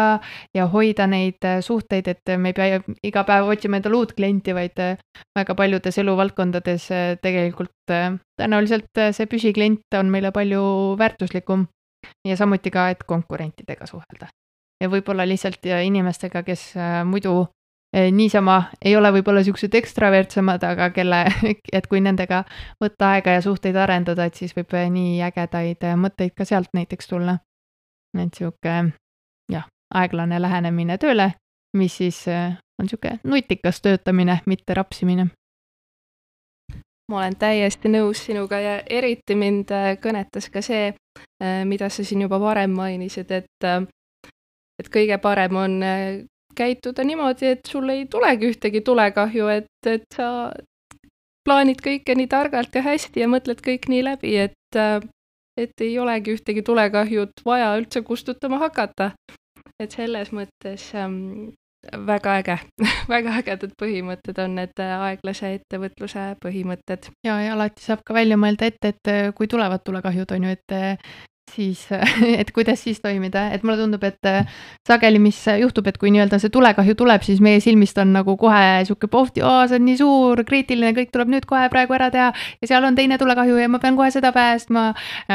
ja hoida neid suhteid, et me ei pea iga päev otsima endale uut klienti, vaid väga paljudes eluvaldkondades tegelikult tõenäoliselt see püsiklient on meile palju väärtuslikum ja samuti ka, et konkurentidega suhelda. Ja võib-olla lihtsalt inimestega, kes muidu niisama ei ole võib-olla siuksed ekstravertsemad, aga kelle, et kui nendega võtta aega ja suhteid arendada, et siis võib nii ägedaid mõtteid ka sealt näiteks tulla. Et siuke, jah, aeglane lähenemine tööle, mis siis on siuke nutikas töötamine, mitte rapsimine. Ma olen täiesti nõus sinuga ja eriti mind kõnetas ka see, mida sa siin juba varem mainisid, et et kõige parem on käituda niimoodi, et sul ei tulegi ühtegi tulekahju, et, et sa plaanid kõike nii targalt ja hästi ja mõtled kõik nii läbi, et, et ei olegi ühtegi tulekahjut vaja üldse kustutama hakata. Et selles mõttes ähm, väga äge, väga ägedad põhimõtted on need aeglase ettevõtluse põhimõtted. Ja, ja alati saab ka välja mõelda ette, et kui tulevad tulekahjud, on ju, et siis, et kuidas siis toimida, et mulle tundub, et sageli, mis juhtub, et kui nii-öelda see tulekahju tuleb, siis meie silmist on nagu kohe siuke pohti, oo, see on nii suur, kriitiline, kõik tuleb nüüd kohe praegu ära teha ja seal on teine tulekahju ja ma pean kohe seda päästma,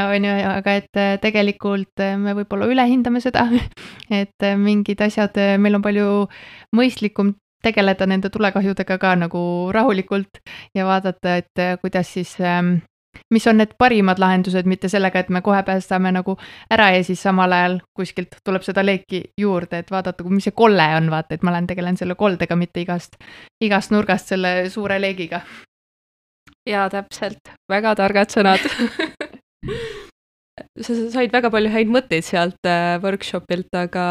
on ju, aga et tegelikult me võib-olla ülehindame seda, et mingid asjad, meil on palju mõistlikum tegeleda nende tulekahjudega ka nagu rahulikult ja vaadata, et kuidas siis mis on need parimad lahendused, mitte sellega, et me kohe päästame nagu ära ja siis samal ajal kuskilt tuleb seda leeki juurde, et vaadata, mis see kolle on, vaata, et ma olen tegelen selle koldega, mitte igast, igast nurgast selle suure leegiga. Jaa, täpselt. Väga targad sõnad. Sa said väga palju häid mõtteid sealt workshopilt, aga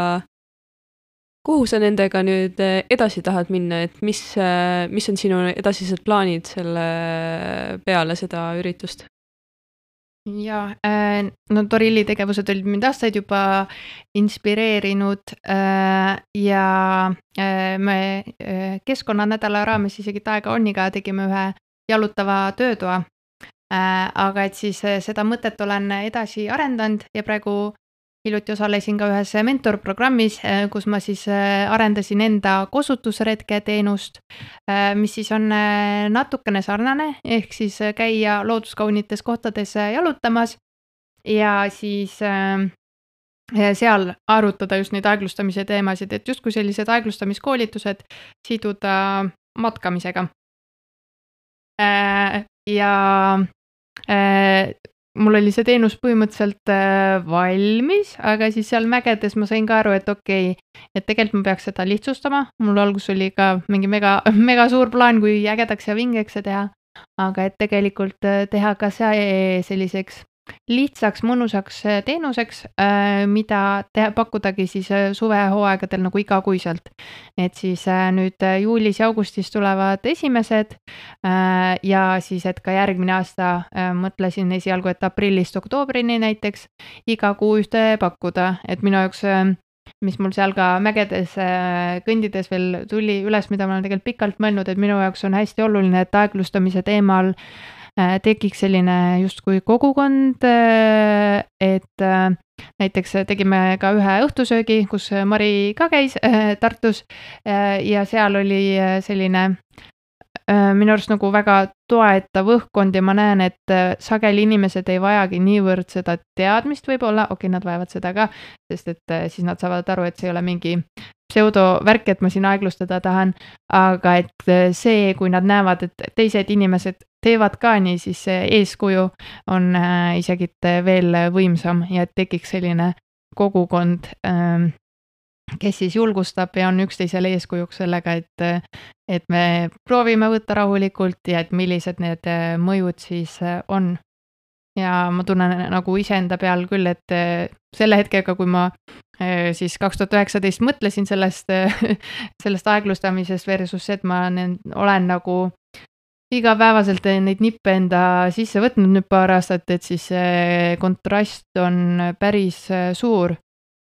kuhu sa nendega nüüd edasi tahad minna, et mis, mis on sinu edasised plaanid selle peale seda üritust? Ja, no Torilli tegevused olid mind aastaid juba inspireerinud ja me keskkonnanädala raames isegi Taega Onniga tegime ühe jalutava töötoa, aga et siis seda mõtet olen edasi arendanud ja praegu hiljuti osalesin ka ühes mentorprogrammis, kus ma siis arendasin enda kosutusretke teenust, mis siis on natukene sarnane, ehk siis käia looduskaunites kohtades jalutamas ja siis seal arutada just neid aeglustamise teemasid, et justkui sellised aeglustamiskoolitused siduda matkamisega. Ja mul oli see teenus põhimõtteliselt valmis, aga siis seal mägedes ma sain ka aru, et okei, et tegelikult ma peaks seda lihtsustama. Mul algus oli ka mingi mega, mega suur plaan, kui ägedaks ja vingeks see teha, aga et tegelikult teha ka see selliseks lihtsaks, mõnusaks teenuseks, mida teha, pakkudagi siis suvehooaegadel nagu igakuiselt. Et siis nüüd juulis ja augustis tulevad esimesed ja siis, et ka järgmine aasta mõtlesin esialgu, et aprillist oktoobrini näiteks iga kuu ühte pakkuda, et minu jaoks, mis mul seal ka mägedes kõndides veel tuli üles, mida ma olen tegelikult pikalt mõelnud, et minu jaoks on hästi oluline, et aeglustamise teemal tekiks selline justkui kogukond, et näiteks tegime ka ühe õhtusöögi, kus Mari ka käis Tartus ja seal oli selline minu arust nagu väga toetav õhkkond ja ma näen, et sageli inimesed ei vajagi niivõrd seda teadmist võib-olla, okei, nad vajavad seda ka, sest et siis nad saavad aru, et see ei ole mingi pseudovärk, et ma siin aeglustada tahan, aga et see, kui nad näevad, et teised inimesed teevad ka nii, siis see eeskuju on äh, isegi veel võimsam ja et tekiks selline kogukond, äh, kes siis julgustab ja on üksteisele eeskujuks sellega, et, et me proovime võtta rahulikult ja et millised need mõjud siis on. Ja ma tunnen nagu iseenda peal küll, et selle hetkega, kui ma siis kaks tuhat üheksateist mõtlesin sellest, sellest aeglustamisest versus see, et ma olen nagu igapäevaselt neid nippe enda sisse võtnud nüüd paar aastat, et siis see kontrast on päris suur.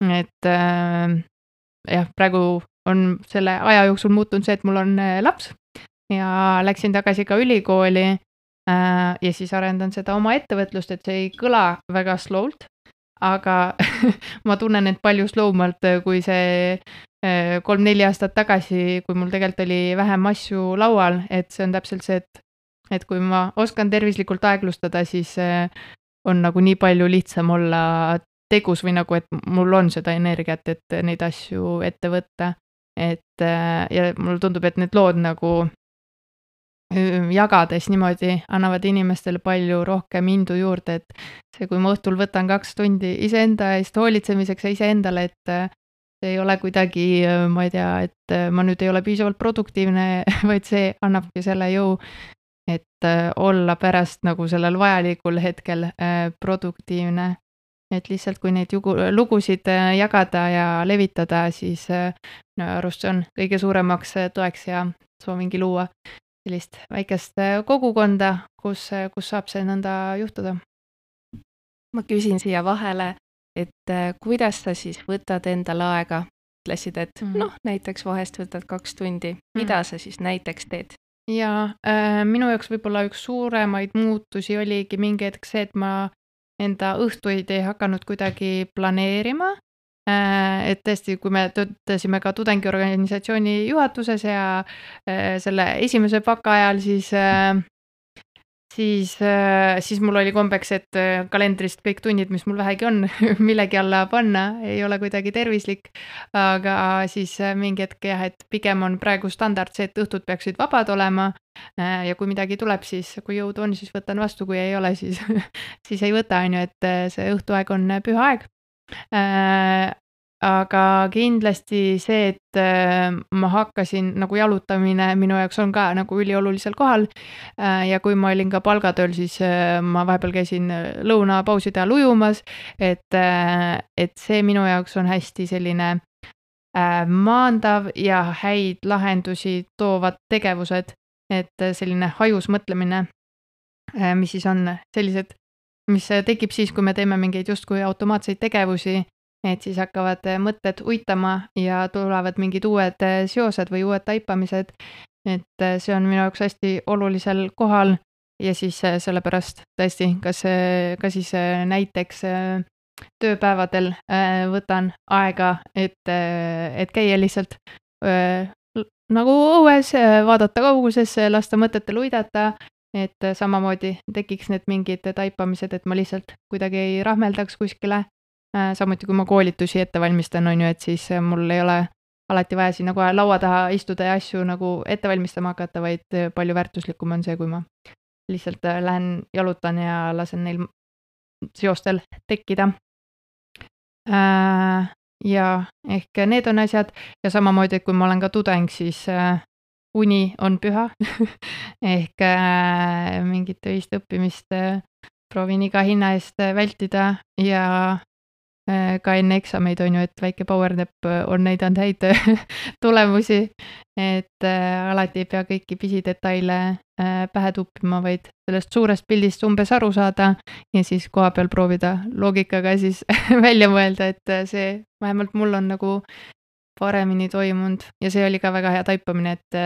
Et jah, praegu on selle aja jooksul muutunud see, et mul on laps ja läksin tagasi ka ülikooli ja siis arendan seda oma ettevõtlust, et see ei kõla väga slowlt, aga ma tunnen end palju slowmalt, kui see kolm-neli aastat tagasi, kui mul tegelikult oli vähem asju laual, et see on täpselt see, et, et kui ma oskan tervislikult aeglustada, siis on nagu nii palju lihtsam olla tegus või nagu, et mul on seda energiat, et neid asju ette võtta. Et ja mulle tundub, et need lood nagu jagades niimoodi annavad inimestele palju rohkem indu juurde, et see, kui ma õhtul võtan kaks tundi iseenda eest hoolitsemiseks ja iseendale, et see ei ole kuidagi, ma ei tea, et ma nüüd ei ole piisavalt produktiivne, vaid see annabki selle jõu, et olla pärast nagu sellel vajalikul hetkel produktiivne. Et lihtsalt kui neid jugu, lugusid jagada ja levitada, siis no, arust see on kõige suuremaks toeks ja soovingi luua sellist väikest kogukonda, kus, kus saab see nõnda juhtuda. Ma küsin siia vahele, et kuidas sa siis võtad endale aega? Ütlesid, et mm. noh, näiteks vahest võtad kaks tundi. Mida mm. sa siis näiteks teed? Ja äh, minu jaoks võib-olla üks suuremaid muutusi oligi mingi hetk see, et ma enda õhtuid ei hakanud kuidagi planeerima, et tõesti, kui me töötasime ka tudengiorganisatsiooni juhatuses ja selle esimese paka ajal, siis, siis, siis mul oli kombeks, et kalendrist kõik tunnid, mis mul vähegi on, millegi alla panna, ei ole kuidagi tervislik, aga siis mingi hetk jah, et pigem on praegu standard see, et õhtud peaksid vabad olema, ja kui midagi tuleb, siis kui jõud on, siis võtan vastu, kui ei ole, siis, siis ei võta, on ju, et see õhtuaeg on püha aeg. Aga kindlasti see, et ma hakkasin, nagu jalutamine minu jaoks on ka nagu üliolulisel kohal ja kui ma olin ka palgatööl, siis ma vahepeal käisin lõunapauside ajal ujumas, et, et see minu jaoks on hästi selline maandav ja häid lahendusi toovad tegevused, et selline hajus mõtlemine, mis siis on sellised, mis tekib siis, kui me teeme mingeid justkui automaatseid tegevusi, et siis hakkavad mõtted uitama ja tulevad mingid uued seosed või uued taipamised, et see on minu jaoks hästi olulisel kohal ja siis sellepärast tõesti, kas, ka siis näiteks tööpäevadel võtan aega, et, et käia lihtsalt nagu õues, vaadata kaugusesse, lasta mõtetel uidata, et samamoodi tekiks need mingid taipamised, et ma lihtsalt kuidagi ei rahmeldaks kuskile. Samuti kui ma koolitusi ette valmistan, on ju, et siis mul ei ole alati vaja siin nagu laua taha istuda ja asju nagu ette valmistama hakata, vaid palju väärtuslikum on see, kui ma lihtsalt lähen jalutan ja lasen neil seostel tekkida. Ja ehk need on asjad ja samamoodi, et kui ma olen ka tudeng, siis uni on püha ehk mingit töist õppimist proovin iga hinna eest vältida ja ka enne eksameid on ju, et väike powernap on näidanud häid tulemusi, et alati ei pea kõiki pisidetaile pähe tuppima, vaid sellest suurest pildist umbes aru saada ja siis koha peal proovida loogikaga siis välja mõelda, et see vähemalt mul on nagu paremini toimunud ja see oli ka väga hea taipamine, et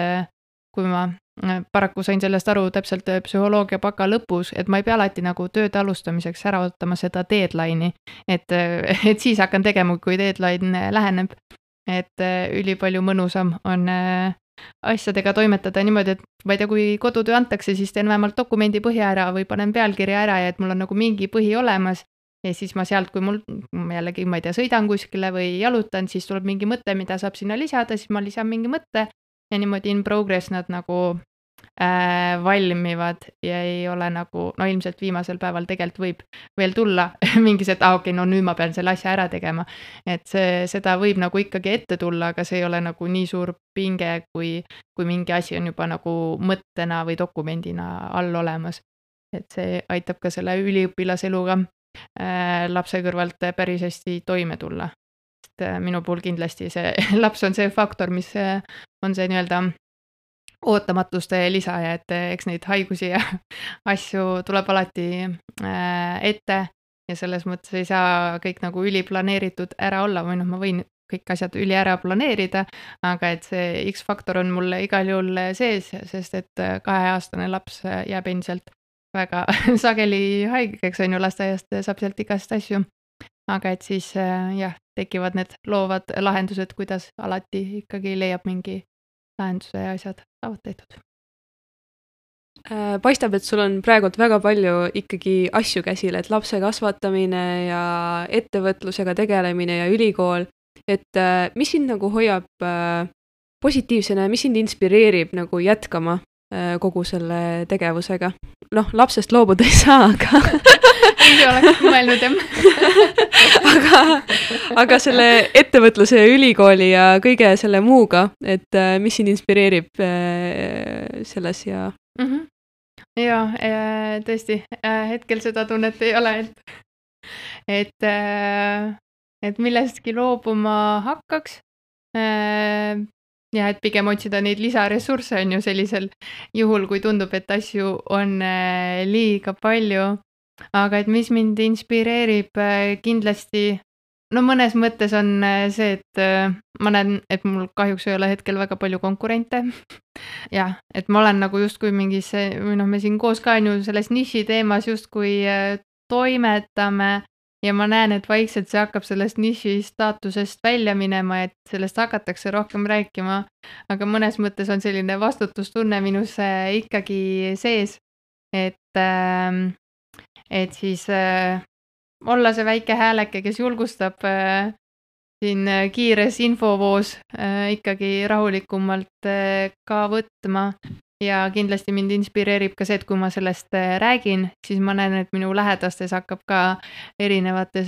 kui ma paraku sain sellest aru täpselt psühholoogia baka lõpus, et ma ei pea alati nagu tööd alustamiseks ära ootama seda deadline'i, et, et siis hakkan tegema, kui deadline läheneb, et ülipalju mõnusam on asjadega toimetada niimoodi, et ma ei tea, kui kodutöö antakse, siis teen vähemalt dokumendi põhja ära või panen pealkirja ära ja et mul on nagu mingi põhi olemas ja siis ma sealt, kui mul jällegi, ma ei tea, sõidan kuskile või jalutan, siis tuleb mingi mõte, mida saab sinna lisada, siis ma lisan mingi mõtte ja niimoodi in progress nad nagu äh, valmivad ja ei ole nagu, no ilmselt viimasel päeval tegelikult võib veel tulla mingis, et ah, okei, okay, no nüüd ma pean selle asja ära tegema. Et see, seda võib nagu ikkagi ette tulla, aga see ei ole nagu nii suur pinge, kui, kui mingi asi on juba nagu mõttena või dokumendina all olemas. Et see aitab ka selle üliõpilaseluga äh, lapse kõrvalt päris hästi toime tulla. Et äh, minu puhul kindlasti see laps on see faktor, mis äh, on see nii-öelda ootamatuste lisaja, et eks neid haigusi ja asju tuleb alati äh, ette ja selles mõttes ei saa kõik nagu üliplaneeritud ära olla, või noh, ma võin kõik asjad üli ära planeerida, aga et see X-faktor on mulle igal juhul sees, sest et kaheaastane laps jääb endiselt väga sageli haigeks, on ju, lasteaiast saab sealt igast asju. Aga et siis jah, tekivad need loovad lahendused, kuidas alati ikkagi leiab mingi lahenduse ja asjad saavad tehtud. Paistab, et sul on praegult väga palju ikkagi asju käsil, et lapse kasvatamine ja ettevõtlusega tegelemine ja ülikool, et mis sind nagu hoiab positiivsena ja mis sind inspireerib nagu jätkama kogu selle tegevusega? Noh, lapsest loobuda ei saa, aga ei oleks mõelnud, jah. aga, aga selle ettevõtluse ja ülikooli ja kõige selle muuga, et mis sind inspireerib selles ja... Mm-hmm. Ja, tõesti, hetkel seda tunnet ei ole, et, et, et millestki loobuma hakkaks. Ja, et pigem otsida neid lisaressursse on ju sellisel juhul, kui tundub, et asju on liiga palju. Aga et mis mind inspireerib kindlasti, no mõnes mõttes on see, et ma näen, et mul kahjuks ei ole hetkel väga palju konkurente. Jah, et ma olen nagu justkui mingis, või noh, me siin koos ka on ju selles niši teemas justkui toimetame ja ma näen, et vaikselt see hakkab sellest niši staatusest välja minema, et sellest hakatakse rohkem rääkima, aga mõnes mõttes on selline vastutustunne minus ikkagi sees, et, et siis olla see väike hääleke, kes julgustab siin kiires infovoos ikkagi rahulikumalt ka võtma. Ja kindlasti mind inspireerib ka see, et kui ma sellest räägin, siis ma näen, et minu lähedastes hakkab ka erinevates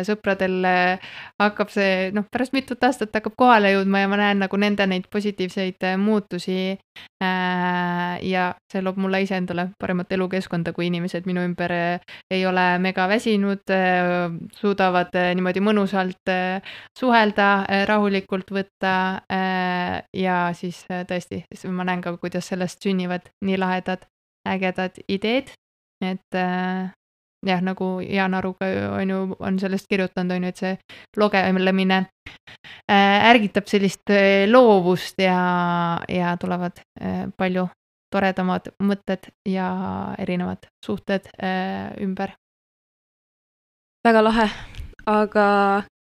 sõpradel hakkab see, noh, pärast mitut aastat hakkab kohale jõudma ja ma näen nagu nende neid positiivseid muutusi ja see loob mulle ise endale paremat elukeskkonda, kui inimesed minu ümber ei ole mega väsinud, suudavad niimoodi mõnusalt suhelda, rahulikult võtta ja siis tõesti, ma näen ka, kuidas sellest sünnivad nii lahedad, ägedad ideed, et äh, jah, nagu Jaan Aruga on ju, on sellest kirjutanud, on ju, et see logelemine äh, ärgitab sellist loovust ja, ja tulevad äh, palju toredamad mõtted ja erinevad suhted äh, ümber. Väga lahe, aga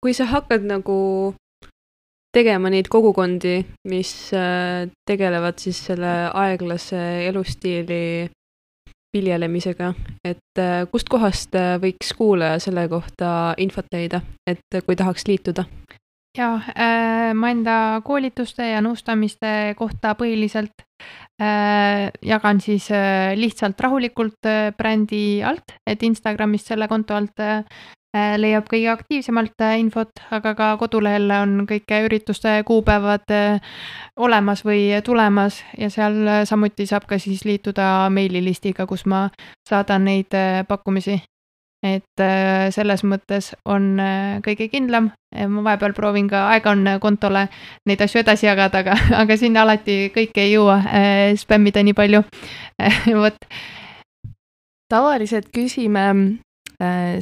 kui sa hakkad nagu tegema neid kogukondi, mis tegelevad siis selle aeglase elustiili viljelemisega, et kust kohast võiks kuulaja selle kohta infot leida, et kui tahaks liituda? Ja, ma enda koolituste ja nõustamiste kohta põhiliselt jagan siis lihtsalt rahulikult brändi alt, et Instagramist selle konto alt leiab kõige aktiivsemalt infot, aga ka kodulehel on kõik ürituste kuupäevad olemas või tulemas ja seal samuti saab ka siis liituda meililistiga, kus ma saadan neid pakkumisi. Et selles mõttes on kõige kindlam. Ma vahepeal proovin ka, aega on kontole neid asju edasi jagada, aga, aga sinna alati kõik ei jõua spämmida nii palju. Võt. Tavaliselt küsime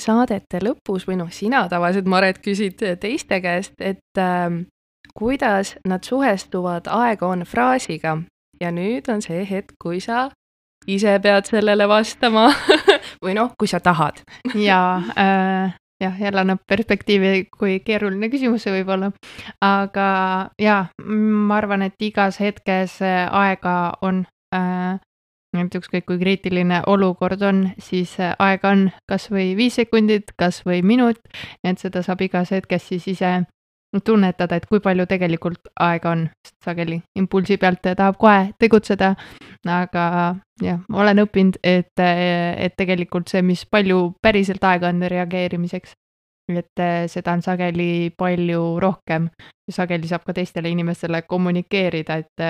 saadete lõpus või noh, sina tavaliselt, Maret, küsid teiste käest, et äh, kuidas nad suhestuvad aega on fraasiga ja nüüd on see hetk, kui sa ise pead sellele vastama või noh, kui sa tahad. ja äh, jah, jälle annab perspektiivi, kui keeruline küsimus see võib olla, aga ja, ma arvan, et igas hetkes aega on äh, et ükskõik kui kriitiline olukord on, siis aega on kas või viis sekundit, kas või minut, et seda saab igas hetkes siis ise tunnetada, et kui palju tegelikult aega on, sest sageli impulsi pealt tahab kohe tegutseda, aga jah, olen õppinud, et, et tegelikult see, mis palju päriselt aega on reageerimiseks, et seda on sageli palju rohkem ja sageli saab ka teistele inimestele kommunikeerida, et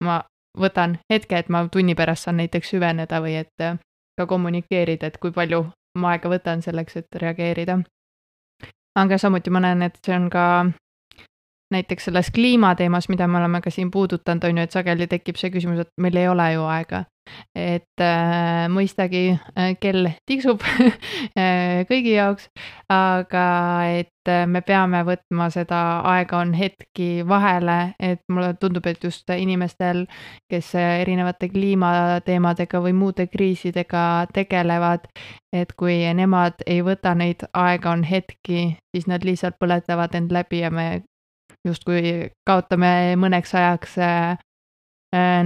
ma võtan hetke, et ma tunni pärast saan näiteks süveneda või et ka kommunikeerida, et kui palju ma aega võtan selleks, et reageerida. Aga samuti ma näen, et see on ka näiteks selles kliimateemas, mida me oleme ka siin puudutanud, on ju, et sageli tekib see küsimus, et meil ei ole ju aega. Et äh, mõistagi äh, kell tiksub kõigi jaoks, aga et me peame võtma seda aega on hetki vahele, et mulle tundub, et just inimestel, kes erinevate kliimateemadega või muude kriisidega tegelevad, et kui nemad ei võta neid aega on hetki, siis nad lihtsalt põletavad end läbi ja me justkui kaotame mõneks ajaks äh,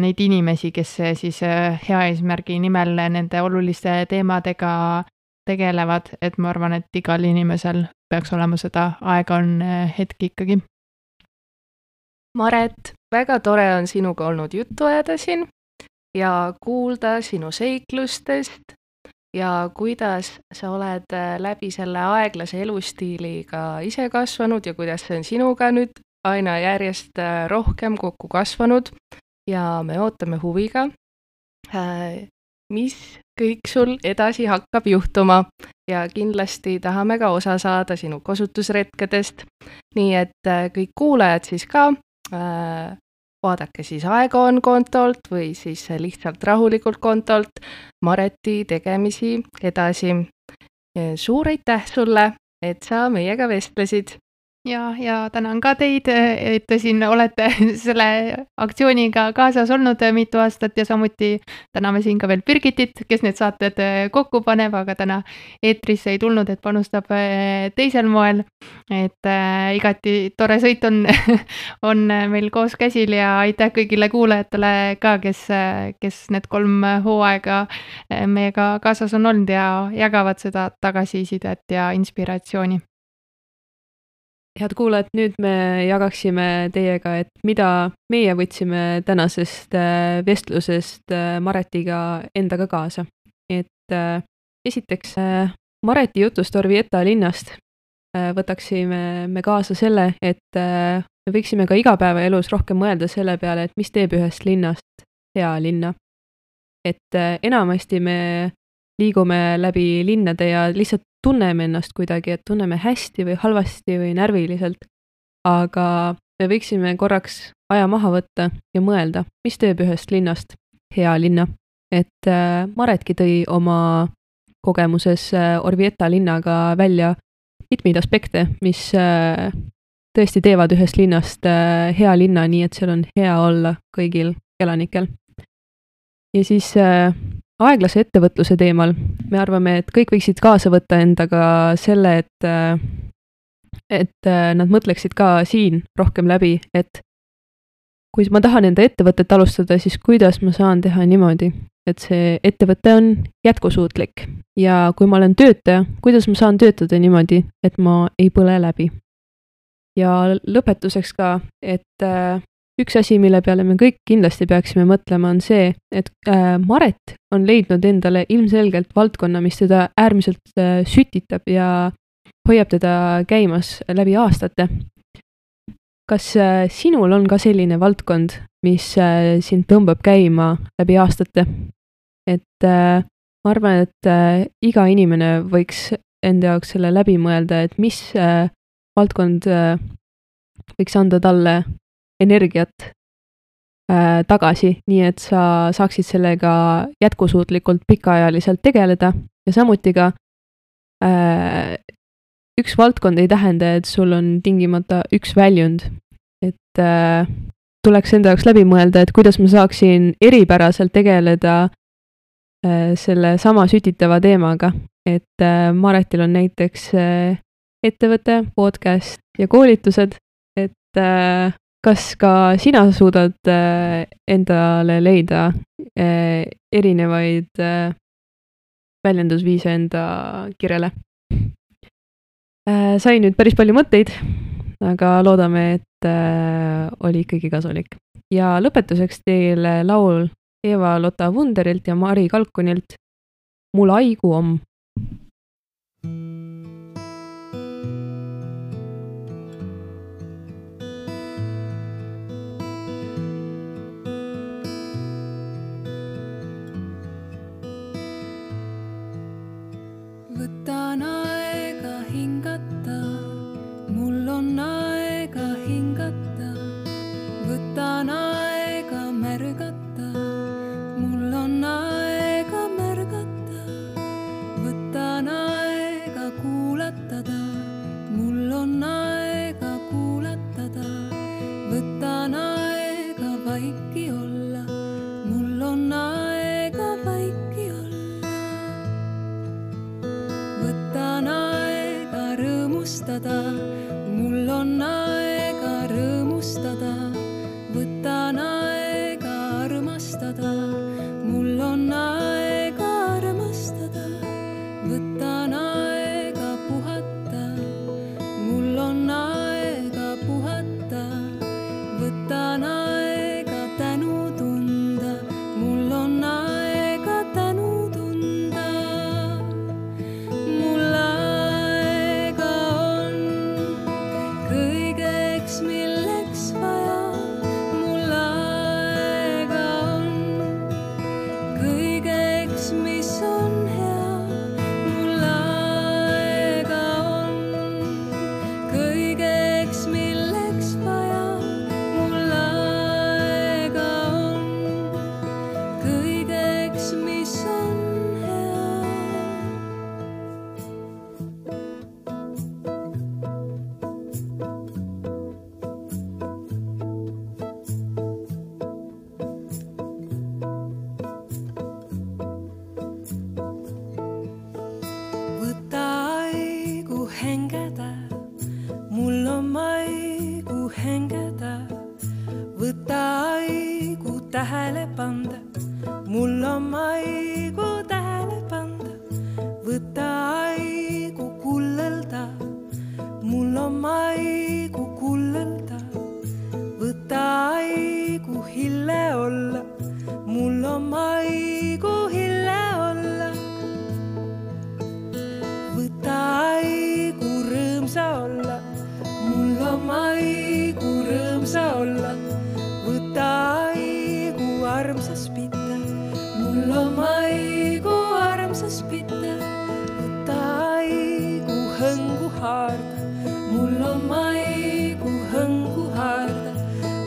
neid inimesi, kes siis äh, hea eesmärgi nimel nende oluliste teemadega tegelevad, et ma arvan, et igal inimesel peaks olema seda aega on äh, hetki ikkagi. Maret, väga tore on sinuga olnud juttu ajada siin ja kuulda sinu seiklustest ja kuidas sa oled läbi selle aeglase elustiiliga ise kasvanud ja kuidas see on sinuga nüüd aina järjest rohkem kokku kasvanud ja me ootame huviga, mis kõik sul edasi hakkab juhtuma ja kindlasti tahame ka osa saada sinu kasutusretkedest, nii et kõik kuulajad siis ka äh, vaadake siis Aega on kontolt või siis lihtsalt rahulikult kontolt Mareti tegemisi edasi. Suur aitäh sulle, et sa meiega vestlesid. Ja, ja tänan ka teid, et te siin olete selle aktsiooniga kaasas olnud mitu aastat ja samuti täname siin ka veel Birgitit, kes need saated kokku paneb, aga täna eetrisse ei tulnud, et panustab teisel moel. Et äh, igati tore sõit on, on meil koos käsil ja aitäh kõigile kuulajatele ka, kes, kes need kolm hooaega meiega kaasas on olnud ja jagavad seda tagasisidet ja inspiratsiooni. Head kuulajad, nüüd me jagaksime teiega, et mida meie võtsime tänasest vestlusest Maretiga endaga kaasa. Et esiteks Mareti jutust Orvieta linnast võtaksime me kaasa selle, et me võiksime ka igapäevaelus rohkem mõelda selle peale, et mis teeb ühest linnast hea linna. Et enamasti me liigume läbi linnade ja lihtsalt tunneme ennast kuidagi, et tunneme hästi või halvasti või närviliselt, aga me võiksime korraks aja maha võtta ja mõelda, mis teeb ühest linnast hea linna. Et äh, Maretki tõi oma kogemuses äh, Orvieta linnaga välja mitmeid aspekte, mis äh, tõesti teevad ühest linnast äh, hea linna, nii et seal on hea olla kõigil elanikel. Ja siis äh, aeglase ettevõtluse teemal me arvame, et kõik võiksid kaasa võtta endaga selle, et, et nad mõtleksid ka siin rohkem läbi, et kui ma tahan enda ettevõtet alustada, siis kuidas ma saan teha niimoodi, et see ettevõte on jätkusuutlik ja kui ma olen töötaja, kuidas ma saan töötada niimoodi, et ma ei põle läbi. Ja lõpetuseks ka, et üks asi, mille peale me kõik kindlasti peaksime mõtlema, on see, et äh, Maret on leidnud endale ilmselgelt valdkonna, mis teda äärmiselt äh, sütitab ja hoiab teda käimas läbi aastate. Kas äh, sinul on ka selline valdkond, mis äh, sind tõmbab käima läbi aastate? Et äh, ma arvan, et äh, iga inimene võiks enda jaoks selle läbi mõelda, et mis äh, valdkond äh, võiks anda talle energiat äh, tagasi, nii et sa saaksid sellega jätkusuutlikult pikaajaliselt tegeleda ja samuti ka äh, üks valdkond ei tähenda, et sul on tingimata üks väljund, et äh, tuleks enda jaoks läbi mõelda, et kuidas ma saaksin eripäraselt tegeleda äh, selle sama sütitava teemaga, et äh, Maretil on näiteks äh, ettevõte, podcast ja koolitused, et äh, kas ka sina suudad äh, endale leida äh, erinevaid äh, väljendusviise enda kirjale? Äh, sain nüüd päris palju mõtteid aga loodame, et äh, oli ikkagi kasulik. Ja lõpetuseks teile laul Eva-Lotta Wunderilt ja Mari Kalkunilt Mul aigu om. Võtan aega hingata, mul on aega hingata. Võtan aega märgata, mul on aega märgata. Võtan aega kuulatada, mul on aega kuulatada. Võtan aega vaiki olla, mul on aega vaiki olla. Võtan aega rõõmustada, mul on aega rõõmustada. Võtan aega armastada, mul on aega armastada. Võtan aega puhata, mul on aega puhata. Võtan aega tänu tunda, mul on aega tänu tunda. Mul aega on kõigeks, milleks vaja. Mul aega on kõigeks, mis on hea. Mul aega on kõigeks, milleks vaja. Mul aega on kõigeks, mis on hea. Võta aigu hengeda, mul on aigu hengeda. Võta aigu tähele panda, mul on aigu tähele panda. Võta aigu kullelda, mul on aigu kullelda. Võta aigu hille olla, mul on aigu hille olla. Võta aigu rõõmsa olla, mul on aigu rõõmsa olla. Võta aigu armsas pita, mul on aigu armsas pita. Võta aigu hõngu haarda, mul on aigu hõngu haarda.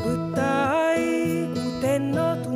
Võta aigu tenno tunne.